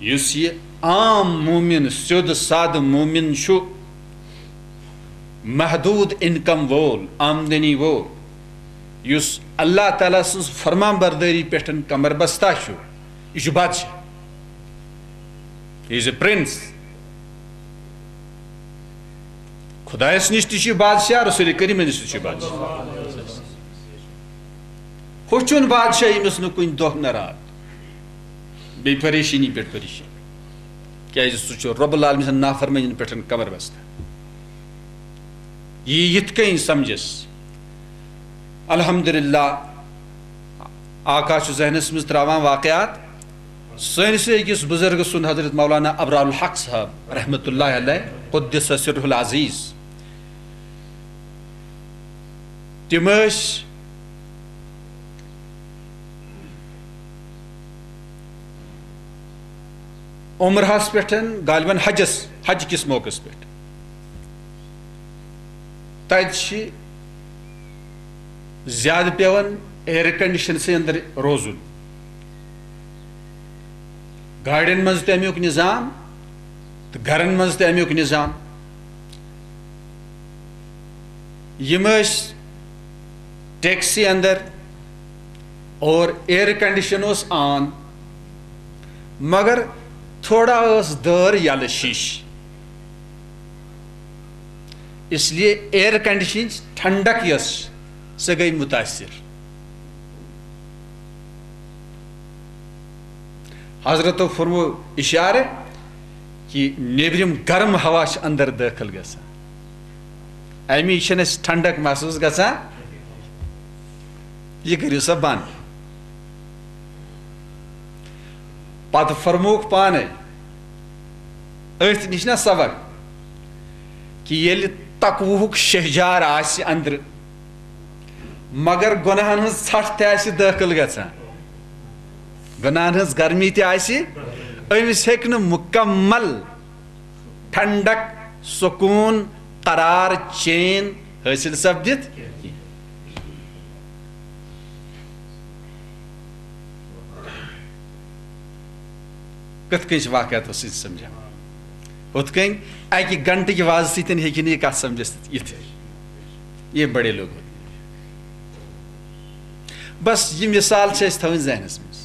یُس یہِ عام مومن، سیوٚد سادٕ مومن چھُ، محدوٗد انکم وول، آمدنی وول، یُس اللہ تعالیٰ سٕنٛز فرمان بردٲری پٮ۪ٹھ کمر بستہ چھُ، یہِ چھُ بادشاہ۔ He is a prince. خدایس نِش تہِ چھُ یہِ بادشاہ، رسول کریٖمس نِش تہِ چھُ یہِ بادشاہ۔ ہُہ چھُنہٕ بادشاہ، ییٚمِس نہٕ کُنہِ دۄہ نہ راتھ بیٚیہِ پریشٲنی پٮ۪ٹھ پریشٲنی، کیازِ سُہ چھُ رب العالمین سٕنٛز نافرمٲنی پٮ۪ٹھ کمر بستہ۔ یہِ یِتھ کٔنۍ سمجھس، الحمدللہ، آقا چھُ ذہنس منٛز تراوان واقعات۔ سٲنِس أکِس بُزرگہٕ سُنٛد، حضرت مولانا ابرار الحق صٲب رحمتہ اللہ علیہ، قدس سرہ العزیز، تِم ٲسۍ عمرہس پٮ۪ٹھ، غالباً حجس، حج کِس موقعس پٮ۪ٹھ۔ تتہِ چھِ زیادٕ پٮ۪وان ایئر کنڈیشنسٕے اندر روزُن۔ گاڑٮ۪ن منٛز تہِ امیُک نظام تہٕ گرن منٛز تہِ امیُک نظام۔ یِم ٲسۍ ٹیکسی اندر اور ایئر کنڈیشن اوس آن، مگر تھوڑا ٲس دٲر یلہٕ شیش، اس لیے ایئر کنڈیشن ٹھنڈک یۄس، سۄ گٔے متاثر۔ حضرتو فرمو اشارٕ کہِ نیبرِم گرم ہوا چھِ اندر دٲخل گژھان، امی چھنہٕ اسہِ ٹھنڈک محسوس گژھان، یہِ کٔرِو سا بند۔ پتہٕ فرمووُکھ پانے، أتھۍ نِش نا سبق، کہِ ییٚلہِ تقوہُک شہجار آسہِ أنٛدرٕ، مگر گۄناہن ہٕنٛز ژھٹھ تہِ آسہِ دٲخل گژھان، گۄناہن ہٕنٛز گرمی تہِ آسہِ، أمِس ہیٚکہِ نہٕ مُکمل ٹھنڈک، سکوٗن، قرار، چین حٲصِل سپدِتھ۔ کِتھ کٔنۍ چھِ واقعاتو سۭتۍ سمجھان؟ ہُتھ کٔنۍ اکہِ گھنٹہٕ کہِ وازٕ سۭتۍ ہیٚکہِ نہٕ یہِ کتھ سمجھِتھ یِتھ۔ یہ بڑے لوگ ہوتے ہیں۔ بس، یہ مثال چھِ اَسہِ تھاوٕنۍ ذہنس منٛز۔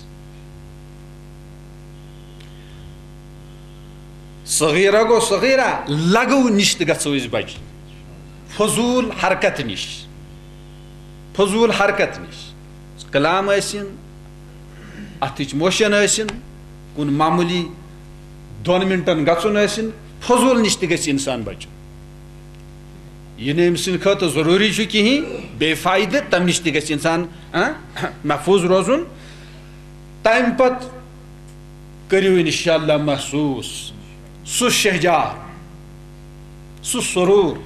صغیرہ گوٚو صغیرہ، لغو نِش تہِ گژھو أسۍ بچٕنۍ، فضوٗل حرکت نِش، فضوٗل حرکت نِش۔ کلام ٲسِن، اَتھٕچ موشن ٲسِن، کُن معموٗلی دۄن منٹن گژھُن ٲسِن، فضوٗل نِش تہِ گژھِ انسان بچُن۔ یہِ نہٕ أمۍ سٕنٛدِ خٲطرٕ ضروٗری چھُ کِہیٖنۍ، بے فٲیدٕ، تَمہِ نِش تہِ گژھِ انسان، ہاں، محفوٗظ روزُن۔ تَمہِ پتہٕ کٔرِو انشاءاللہ محسوٗس سُہ شہجار، سُہ سرور،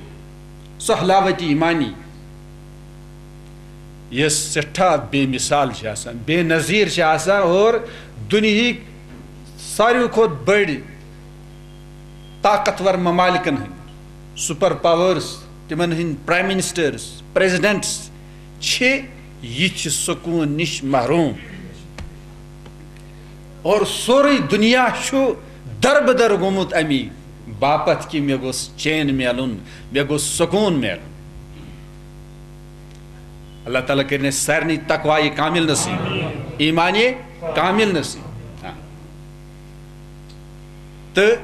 سُہ حلاوت ایمانی، یۄس سٮ۪ٹھاہ بے مثال چھِ آسان، بے نظیر چھِ آسان، اور دُنیہٕکۍ ساروی کھۄتہٕ بٔڑۍ طاقتور ممالکن ہٕنٛدۍ، سپر پاورز، تِمن ہٕنٛدۍ پرائم منسٹرز، پریزیڈنٹس چھِ یِتھِ سکوٗن نِش محروم۔ اور سورُے دُنیا چھُ دربدر گوٚمُت اَمی باپتھ کہِ مےٚ گوٚژھ چین میلُن، مےٚ گوٚژھ سکوٗن میلُن۔ اللہ تعالیٰ کٔرِنۍ اَسہِ سارنٕے تقوایہِ کامل نصیٖب، ایمانہِ کامل نصیٖب۔ ہاں۔ تہٕ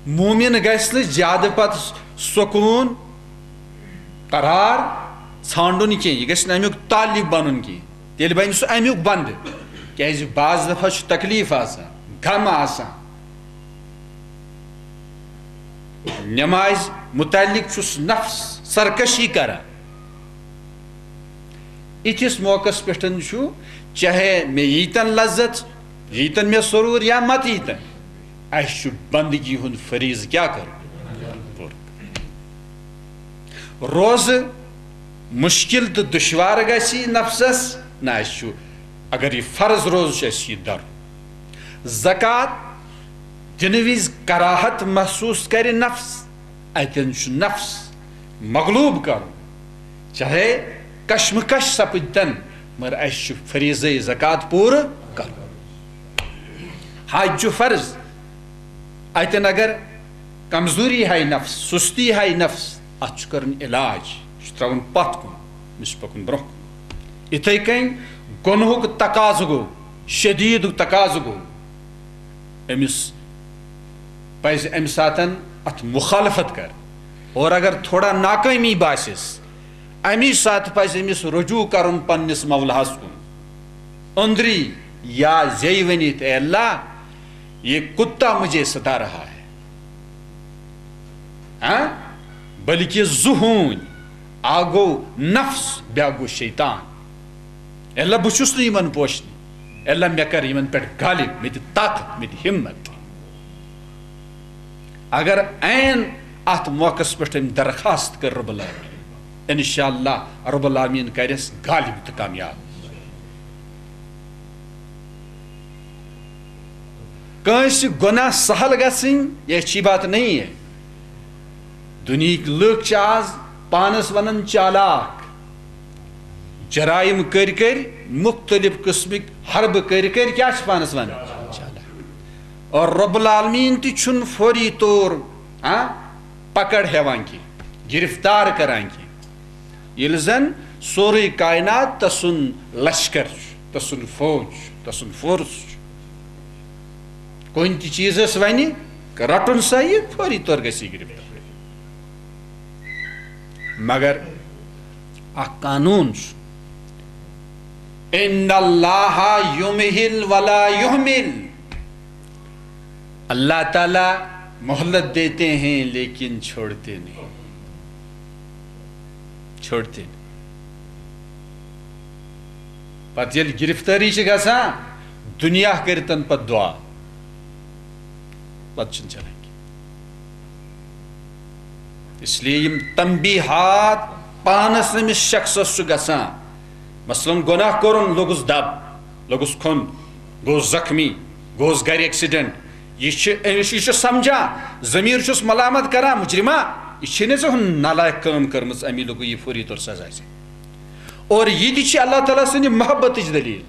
مومن گژھِ نہٕ زیادٕ پتہٕ سکوٗن، قرار ژھانڈُن کینٛہہ، یہِ گژھِ نہٕ اَمیُک طالب بنُن کینٛہہ، تیٚلہِ بنہِ سُہ اَمیُک بندٕ۔ کیازِ بعض دفعہ چھُ تکلیف آسان، غم آسان۔ نمازِ متعلق چھُس نفس سرکشی کران، یِتھِس موقعس پٮ۪ٹھ چھُ، چاہے مےٚ ییٖتن لذت، ییٖتن مےٚ سرور یا مت ییٖتن، اَسہِ چھُ بندگی ہُنٛد فریضہٕ کیٛاہ کرُن؟ پوٗرٕ کرُن۔ روزٕ مُشکِل تہٕ دُشوار گژھِ نفسس، نہ اَسہِ چھُ، اگر یہِ فرض روزٕ چھُ اَسہِ یہِ درُن۔ زکوٰۃ دِنہٕ وِزِ کراہت محسوس کرِ نفس، اتٮ۪ن چھُ نفس مغلوب کرُن، چاہے کشمکش سپدتن، مگر اسہِ چھُ فریضے زکوٰۃ پوٗرٕ کرُن۔ حج چھُ فرض، اتٮ۪ن اگر کمزوری ہاے نفس، سستی ہاے نفس، اتھ چھُ کرُن علاج، یہِ چھُ تراوُن پتھ کُن، أمِس چھُ پکُن برونٛہہ کُن۔ یِتھے کٔنۍ گۄنہُک تقاضہٕ گوٚو، شدیٖدُک تقاضہٕ گوٚو، أمِس پزِ امہِ ساتن اتھ مخالفت کرٕنۍ۔ اور اگر تھوڑا ناکٲمی باسٮ۪س، امی ساتہٕ پزِ أمِس رجوع کرُن پننِس مولاہس کُن، أنٛدری یا زیٚیہِ ؤنِتھ، "اے اللہ، یہ کتا مجھے ستا رہا ہے؟" ہاں؟ بلکہ زٕ ہوٗنۍ، اکھ گوٚو نفس، بیٛاکھ گوٚو شیطان۔ اے اللہ، بہٕ چھُس نہٕ یِمن پوشنہِ۔ اے اللہ، مےٚ کر یِمن پٮ۪ٹھ غالب، مےٚ دِ طاقت، مےٚ دِ ہمت۔ اگر عین اتھ موقعس پٮ۪ٹھ أمۍ درخواست کٔر رب العالمین، انشاءاللہ رب العالمین کرٮ۪س غالب تہٕ کامیاب۔ کٲنٛسہِ گۄناہ سہل گژھٕنۍ، یہ اچھی بات نہیں ہے۔ دُنیہٕکۍ لُکھ چھِ آز پانس ونان چالاک، جرائم کٔرۍ کٔرۍ، مختلف قسمٕکۍ حربہٕ کٔرۍ کٔرۍ، کیٛاہ چھِ پانس ونان؟ چالاک۔ اور رب العالمین تہِ چھُنہٕ فوری طور، ہاں، پکڑ ہٮ۪وان کینٛہہ، گرفتار کران کینٛہہ۔ ییٚلہِ زن سورُے کائنات تسُنٛد لشکر چھُ، تسُنٛد فوج چھُ، تسُنٛد فورس چھُ۔ کُنہِ تہِ چیٖزس ونہِ، رٹُن سا یہِ، فوری طور گژھِ یہِ گرفتار۔ مگر اکھ قانون چھُ، "ان اللہ یمہل ولا یہمل"۔ اللہ تعالیٰ مہلت دیتے ہیں لیکن چھوڑتے نہیں، چھوڑتے نہیں۔ پتہٕ ییٚلہِ گرفتٲری چھِ گژھان، دُنیا کٔرتن پتہٕ دعا، پتہٕ چھُنہٕ چلان کینٛہہ۔ اس لیے یِم تنبیہات پانس أمِس شخصس چھُ گژھان، مثلاً گۄناہ کوٚرُن، لوٚگُس دب، لوٚگُس کھوٚن، گوٚوُس زخمی، گوٚوُس گرِ ایکسیڈنٹ۔ یہِ چھُ، أمِس، یہِ چھُ سمجھان، ضمیٖر چھُس ملامت کران، مجرمہ، یہِ چھے نہٕ ژےٚ ہُم نالائق کٲم کٔرمٕژ، امی لوٚگُے یہِ فوری طور سزا ژےٚ۔ اور یہِ تہِ چھِ اللہ تعالیٰ سٕنٛدِ محبتٕچ دلیل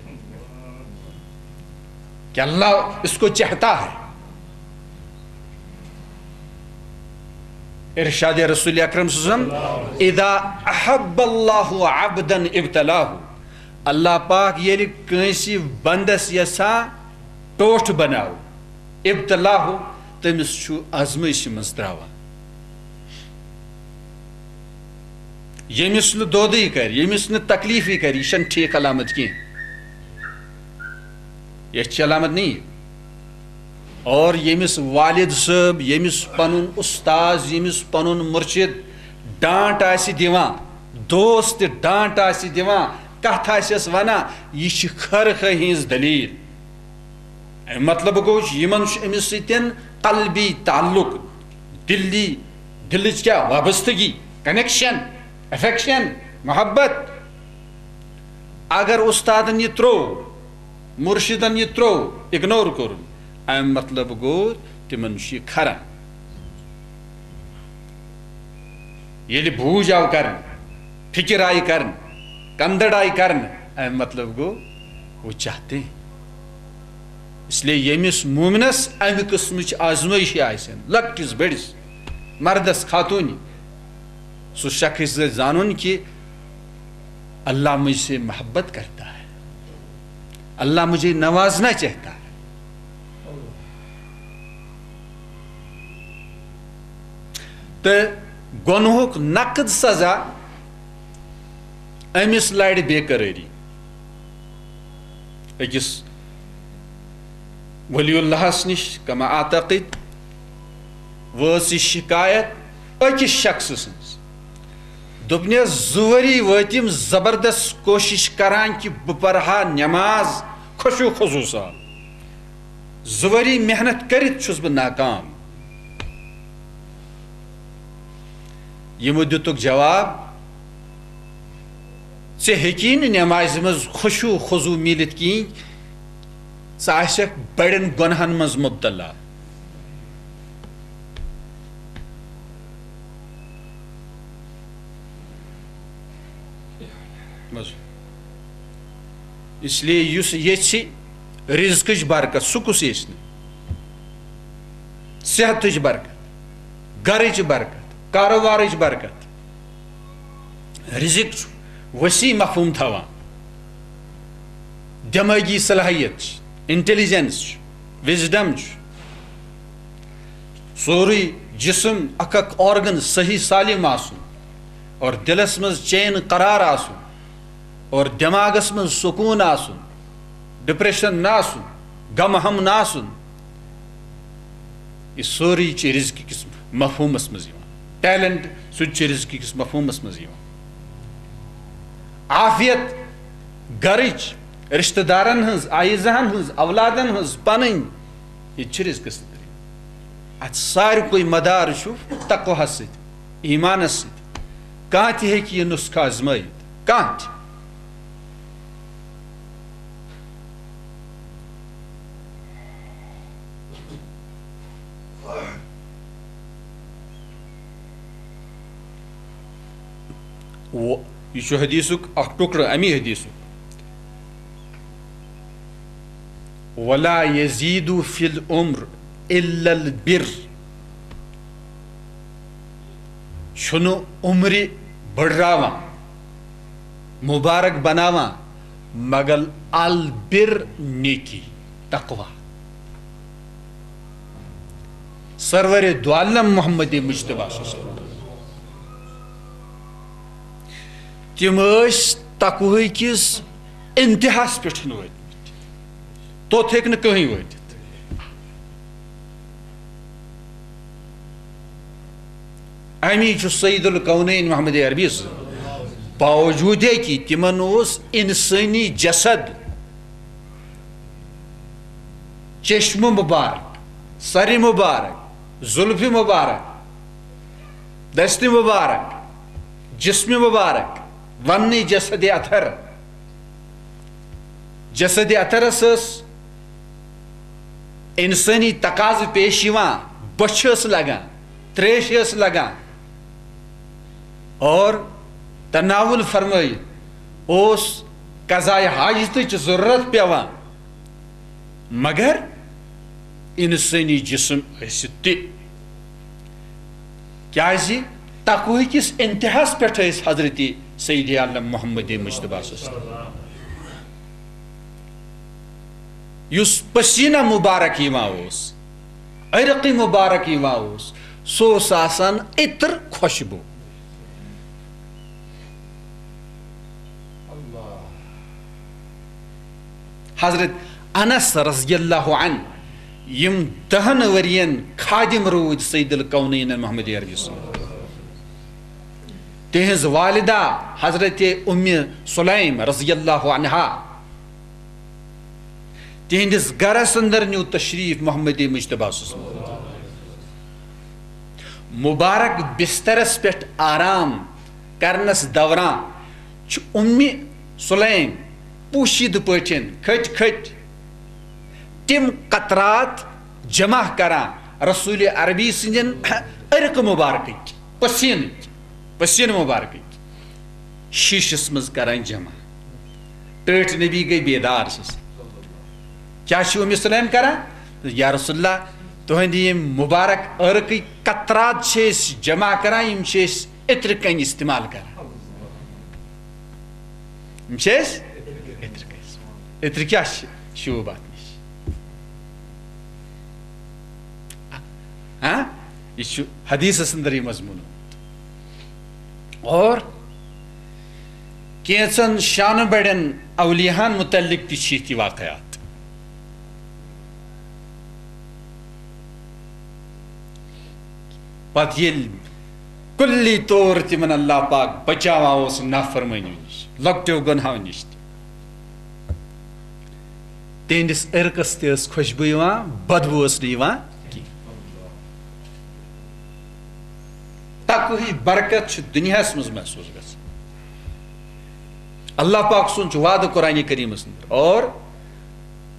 کہ اللہ اس کو چاہتا ہے۔ ارشاد رسول اکرم صلی اللہ علیہ وسلم، "اذا احب اللہ عبدا ابتلاہ"، اللہ پاک ییٚلہِ کٲنٛسہِ بندس یژھان ٹوٹھ بناو، ابتلاہ، تٔمِس چھُ آزمٲیشہِ منٛز تراوان۔ ییٚمِس نہٕ دودٕے کرِ، ییٚمِس نہٕ تکلیفٕے کرِ، یہِ چھَنہٕ ٹھیٖک علامت کینٛہہ۔ یہِ چھِ علامت نہیں۔ اور ییٚمِس والد صٲب، ییٚمِس پنُن استاذ، ییٚمِس پنُن مرشد ڈانٹ آسہِ دِوان، دوست تہِ ڈانٹ آسہِ دِوان، کتھ آسٮ۪س ونان، یہِ چھِ خٲر خٲہی ہٕنٛز دلیل۔ اَمیُک مطلب گوٚو، یِمن چھُ أمِس سۭتۍ قلبی تعلق، دلی، دلٕچ کیٛاہ وابستگی، کنیکشن، افیکشن، محبت۔ اگر استادن یہِ ترٛوو، مرشدن یہِ ترٛوو، اگنور کوٚرُن، اَمیُک مطلب گوٚو، تِمن چھُ یہِ کھران۔ ییٚلہِ بوٗج آو کرنہٕ، فکر آیہِ کرنہٕ، کندٕڑ آیہِ کرنہٕ، اَمیُک مطلب گوٚو، وہ چاہتے ہیں۔ اس لیے ییٚمِس مومنس امہِ قٕسمٕچ آزمٲیشہِ آسن، لۄکٹِس بٔڑِس، مردس خاتوٗنہِ، سُہ شخص گژھِ زانُن کہِ اللہ مجھ سے محبت کرتا ہے، اللہ مجھے نوازنا چاہتا ہے۔ تہٕ گۄنہُک نقد سزا أمِس لڑِ بے قرٲری۔ أکِس ولی اللہس نِش، کما اعتقد، وٲژ یہِ شکایت أکِس شخص سٕنٛز۔ دوٚپنس، زٕ ؤری وٲتۍ یِم زبردست کوٗشِش کران کہِ بہٕ پرٕ ہا نٮ۪ماز خشوع خضوع سان۔ زٕ ؤری محنت کٔرِتھ چھُس بہٕ ناکام۔ یِمو دِتُکھ جواب، ژےٚ ہیٚکی نہٕ نٮ۪مازِ منٛز خشوع خضوع میٖلِتھ کِہیٖنۍ، ژٕ آسکھ بڑٮ۪ن گۄناہن منٛز مبتلا۔ بس۔ اس لیے یُس یژھِ رزقٕچ برکت، سُہ کُس یژھِ نہٕ؟ صحتٕچ برکت، گرٕچ برکت، کاروبارٕچ برکت۔ رزق چھُ وسیع مفہوم تھاوان، دمٲغی صلاحیت چھِ، انٹیلیجنس چھُ، وزڈم چھُ، سورُے جسم، اکھ اکھ آرگن صحیح سالم آسُن، اور دلس منٛز چین قرار آسُن، اور دماغس منٛز سکون آسُن، ڈپریشن نہ آسُن، غم ہم نہ آسُن۔ یہِ سورُے چھُ رزق کِس مفہومس منٛز یِوان۔ ٹیلنٹ، سُہ تہِ چھُ رزق کِس مفہومس منٛز یِوان۔ عافیت، گرٕچ، رشتہٕ دارن ہٕنٛز، عیزہن ہٕنٛز، اولادن ہٕنٛز، پنٕنۍ، یہِ تہِ چھُ رزقس اندر یِوان۔ اتھ ساروٕے مدار چھُ تقوہس سۭتۍ، ایمانس سۭتۍ۔ کانٛہہ تہِ ہیٚکہِ یہِ نسخہٕ آزمٲیِتھ، کانٛہہ تہِ۔ و-، یہِ چھُ حدیثُک اکھ ٹُکڑٕ، امی حدیثُک۔ ولا یزید فی العمر الا البر۔ چھُنہٕ عمرِ بٔڑراوان، مبارک بناوان، مگر البر، نیکی، تقوی۔ سرور دو عالم محمد مجتبیٰ صلی اللہ علیہ وسلم، تِم ٲسۍ تقوی کِس انتہاہس پٮ۪ٹھ وٲتمٕتۍ، توٚت ہیٚکہِ نہٕ کٕہٕنۍ وٲتِتھ۔ امی چھُ سید الکونین محمد عربی سٕنٛز، باوجود کہِ تِمن اوس انسٲنی جسد، چشم مبارک، سر مبارک، زلف مبارک، دست مبارک، جسم مبارک، وننی جسد اطہر۔ جسد اطہرس ٲس انسٲنی تقاضہٕ پیش یِوان، بۄچھِ ٲس لگان، تریش ٲس لگان، اور تناول فرمٲیِتھ اوس قضائے حاجتٕچ ضروٗرت پٮ۪وان۔ مگر انسٲنی جسم ٲسِتھ تہِ، کیازِ تقوی کِس انتہاہس پٮ۪ٹھ ٲسۍ حضرت سید عالم محمد مجتبیٰ صلی اللہ علیہ وسلم، یُس پسینہ مبارک یِوان اوس، عرق مبارک یِوان اوس، سُہ اوس آسان عطر، خوشبو۔ حضرت انس رضی اللہ عنہ، یِم دہن ؤرین خادم روٗدۍ سید الکونین محمد عربی سٕنٛدۍ، تِہنٛز والدہ حضرت ام سلیم رضی اللہ عنہا، تِہنٛدِس گرس اندر نیوٗ تشریف محمد مجتبیٰ صٲب سُنٛد۔ مبارک بسترس پٮ۪ٹھ آرام کرنس دوران چھُ اُمہِ سُلیم پوشیدٕ پٲٹھۍ کھٔٹۍ کھٔٹۍ تِم قطرات جمع کران رسول عربی سٕنٛدٮ۪ن عرق مبارکٕکۍ، پسیٖنٕکۍ، پسیٖنہٕ مبارکٕکۍ شیٖشس منٛز کران جمع۔ ٹٲٹھۍ نبی گٔے بیدار۔ چھِس، کیٛاہ چھِ اُمہِ سُلیم کران؟ یا رسول اللہ، تُہنٛدِ یِم مبارک عرقٕکۍ قطرات چھِ أسۍ جمع کران، یِم چھِ أسۍ عطرٕ کَنۍ استعمال کران۔ یِم چھِ أسۍ عطرٕ کَنۍ۔ عطرٕ کیٛاہ چھِ؟ شوٗب اَتھ نِش۔ ہاں؟ یہِ چھُ حدیثس اندر یہِ مضموٗن۔ اور کینٛژن شانہٕ بڑٮ۪ن اولیاہن متعلق تہِ چھِ یِتھۍ واقعات۔ پتہٕ ییٚلہِ کُلی طور تِمن اللہ پاک بچاوان اوس نافرمٲنی نِش، لۄکٹیو گۄنہو نِش تہِ۔ تِہنٛدِس عرقس تہِ ٲس خوشبو یِوان، بدبو ٲس نہٕ یِوان کینٛہہ۔ تقوہٕچ برکت چھِ دُنیاہس منٛز محسوس گژھان۔ اللہ پاک سُنٛد چھُ وعدٕ قرآن کریٖمس اندر، اور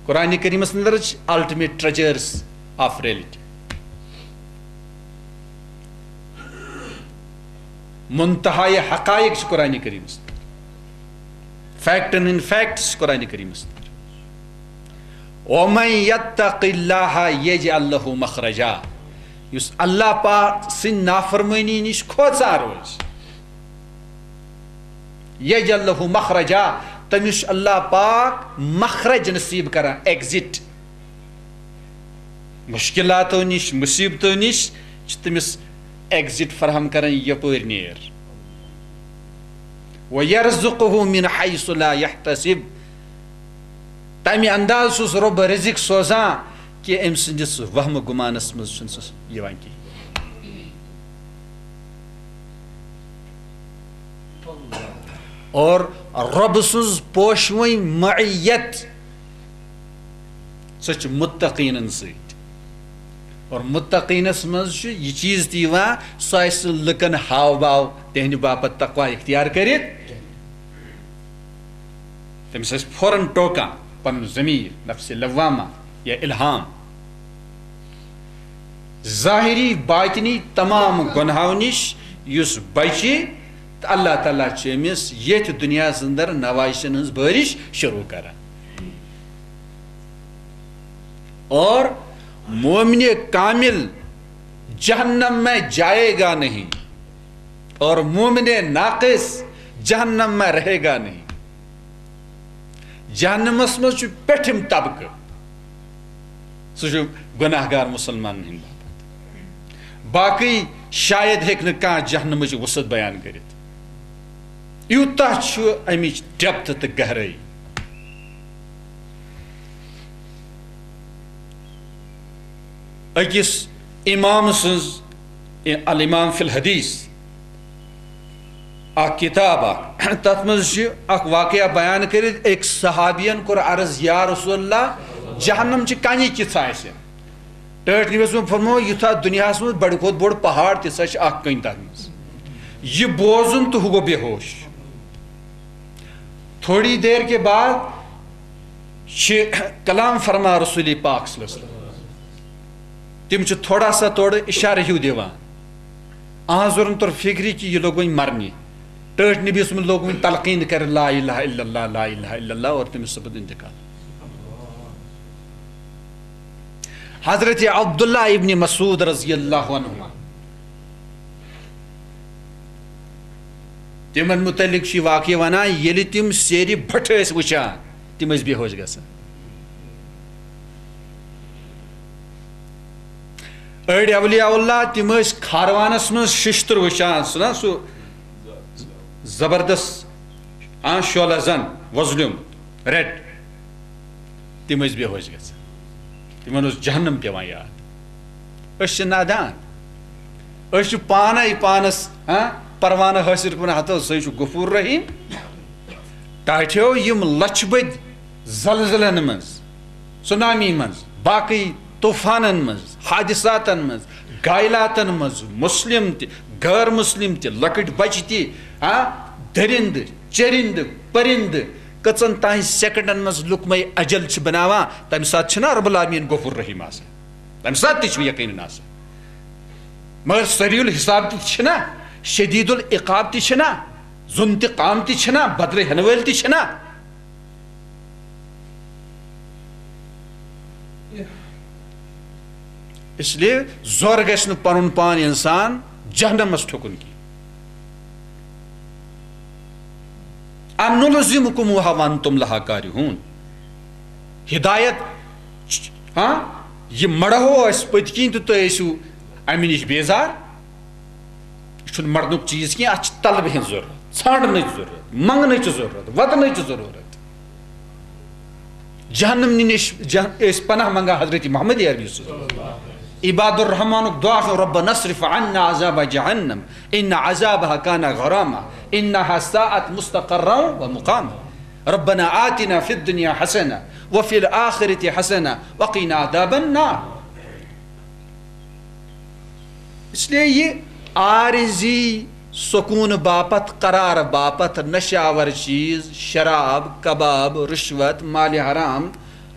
قرآن کریٖمس اندر چھِ ultimate treasures of reality۔ منتہاے حقائق چھِ قرآن کریٖمس اندر، فیکٹن ہٕنٛدۍ فیکٹس چھِ قرآن کریٖمس اندر۔ ومن یتق اللہ یجعل لہ مخرجا، یُس اللہ پاک سٕنٛدِ نافرمٲنی نِش کھوژان روزِ، یجعل لہ مخرجا، تٔمِس چھُ اللہ پاک مخرج نصیب کران، ایگزٹ۔ مشکلاتو نِش، مصیبتو نِش چھُ تٔمِس ایگزٹ فراہم کران، یپٲرۍ نیر۔ وَيَرْزُقْهُ مِنْ حَيْثُ لَا يَحْتَسِبُ، تَمہِ انداز چھُس رۄب رزق سوزان کہِ أمۍ سٕنٛدِس وہمہٕ گُمانس منٛز چھُنہٕ سُہ یِوان کِہیٖنۍ۔ اور رۄب سٕنٛز پوشوٕنۍ معیت، سۄ چھِ متقیٖنن سۭتۍ۔ اور متقیٖنس منٛز چھُ یہِ چیٖز تہِ یِوان، سُہ آسہِ نہٕ لُکن ہاو باو تِہنٛدِ باپتھ تقوی اختیار کٔرِتھ۔ تٔمِس آسہِ فوراً ٹوکان پنُن ضمیٖر، نفس لوامہ یا الہام۔ ظٲہری باطنی تمام گۄنہو نِش یُس بچہِ، تہٕ اللہ تعالیٰ چھُ أمِس ییٚتھۍ دُنیاہس اندر نوازشن ہٕنٛز بٲرِش شروع کران۔ اور مومن کامل جہنم میں جائے گا نہیں، اور مومن ناقص جہنم میں رہے گا نہیں۔ جہنمس منٛز چھُ پیٚٹھِم طبقہٕ، سُہ چھُ گۄناہ گار مُسلمانن ہٕنٛدِ باپتھ۔ باقٕے شاید ہیٚکہِ نہٕ کانٛہہ جہنمٕچ وُسعت بیان کٔرِتھ۔ یوٗتاہ چھُ اَمِچ ڈیپتھ تہٕ گہرٲیی۔ أکِس امام سٕنٛز، الامام فی الحدیث، اکھ کتاب اکھ، تتھ منٛز چھُ اکھ واقعہ بیان کٔرِتھ، أکۍ صحابین کوٚر عرض، یا رسول اللہ، جہنم چہِ کنہِ کِژھ آسہِ؟ ٹٲٹھۍ نبی صٲبن فرموو، یُتھ اتھ دُنیاہس منٛز بڑِ کھۄتہٕ بوٚڑ پہاڑ، تِژھ چھِ اکھ کٔنۍ تتھ منٛز۔ یہِ بوزُن تہٕ ہُہ گوٚو بے ہوش۔ تھوڑی دیر کے بعد چھِ کلام فرما رسول پاک صلی اللہ علیہ وسلم۔ تِم چھِ تھوڑا سا تورٕ اشارٕ ہیوٗ دِوان۔ اہنٛزن توٚر فکرِ کہِ یہِ لوٚگ وۄنۍ مرنہِ۔ ٹٲٹھۍ نبی صٲبن لوٚگ وۄنۍ تلقین کرِ، لا الہ الا اللہ، لا الہ الا اللہ، اور تٔمِس سپُد انتقال۔ حضرت عبداللہ ابن مسعود رضی اللہ عنہما، تِمن متعلق چھُ یہِ واقعہٕ ونان، ییٚلہِ تِم سیرِ بھٹہٕ ٲسۍ وٕچھان، تِم ٲسۍ بے ہوش گژھان۔ أڑۍ اولیاء اللہ، تِم ٲسۍ کھاروانس منٛز ششتٕر وٕچھان، سُہ نا سُہ زبردست، آ، شعلہ زن وۄزلیومُت، ریڈ۔ تِم ٲسۍ بے ہوش گژھان، تِمن اوس جہنم پٮ۪وان یاد۔ أسۍ چھِ نادان، أسۍ چھِ پانے پانس، ہاں، پروانہٕ حٲصِل کران، ہتو سُے چھُ غفور رحیم۔ ٹاٹھیو یِم لچھ بٔدۍ زلزلن منٛز، سونامی منٛز، باقٕے طوفانن منٛز، حادثاتن منٛز، گائلاتن منٛز، مسلم تہِ، غٲر مسلم تہِ، لۄکٕٹۍ بچہِ تہِ، ہاں، درندٕ، چرندٕ، پرندٕ، کٔژن تام سیکنڈن منٛز لُکمے اجل چھِ بناوان، تمہِ ساتہٕ چھِنہ رب العالمین غفور رحیم آسان؟ تمہِ ساتہٕ تہِ چھُ یقیناً آسان۔ مگر سریع الحساب تہِ چھِنہ، شدید العقاب تہِ چھِنہ، ذو انتقام تہِ چھِنہ، بدلہٕ ہٮ۪نہٕ وٲلۍ تہِ چھِنہ۔ اس لیے زور گژھِ نہٕ پنُن پان انسان جہنمس ٹھُکُن کینٛہہ۔ أَنُلْزِمُكُمُوهَا وَأَنْتُمْ لَهَا كَارِهُونَ۔ ہدایت، ہاں، یہِ مڑہو أسۍ پٔتۍ کِنۍ تہٕ تُہۍ ٲسِو اَمہِ نِش بیزار۔ یہِ چھُنہٕ مڑنُک چیٖز کینٛہہ، اَتھ چھِ طلبہِ ہٕنٛز ضروٗرت، ژھانڈنٕچ ضروٗرت، منٛگنٕچ ضروٗرت، وَدنٕچ ضروٗرت۔ جہنم نِش جہ-، ٲسۍ پناہ منٛگان حضرت محمد عربی صلی اللہ علیہ وسلم۔ عباد الرحمنُک دعا چھُ، "ربنا اصرف عنا عذاب جہنم، ان عذابها کان غراما، انها ساءت مستقرا و مقاما۔ ربنا آتنا فی الدنیا حسنہ وفی الآخرۃ حسنہ وقنا عذاب النار۔" اس لیے یہ عارضی سکون باپتھ، قرار باپتھ، نشہ آور چیز، شراب، کباب، رشوت، مال حرام،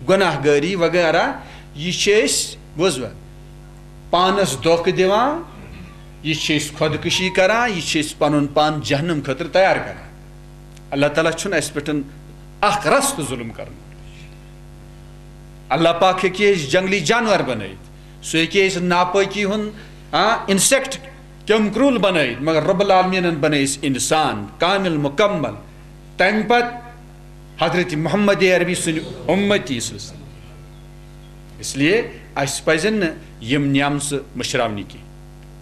گناہ گٲری وغیرہ، یہ چھِ أسۍ، بوزوا، پانس دھوکہ دِوان، یہ چھِ أسۍ خودکشی کران، یہ چھِ أسۍ پنُن پان جہنم خٲطرٕ تیار کران۔ اللہ تعالیٰ چھُنہٕ اسہِ پٮ۪ٹھ اکھ رژھ تہِ ظلم کرُن۔ اللہ پاک ہیٚکہِ أسۍ جنگلی جانور بنٲیِتھ، سُہ ہیٚکہِ أسۍ ناپٲکی ہُنٛد، آ، انسیکٹ، کیمکرول بنٲیِتھ، مگر رب العالمینن بنٲے أسۍ انسان کامل مکمل۔ تمہِ پتہٕ حضرت محمد عربی سٕنٛدۍ امتی صلی اللہ علیہ وسلم۔ اس لیے اسہِ پزن نہٕ یِم نعمژٕ مٔشراونہِ کینٛہہ۔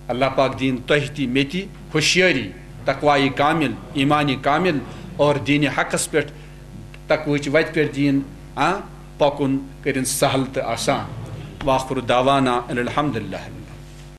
اللہ پاک دِیِن تۄہہِ تہِ مےٚ تہِ ہوشیٲری، تقوایہِ کامل، ایمانِ کامل اور دینِ حقس پٮ۪ٹھ، تقوہٕچ وتہِ پٮ۪ٹھ دِیِن، آ، پکُن کٔرِن سہل تہٕ آسان۔ وآخر دعوانا ان الحمد للہ۔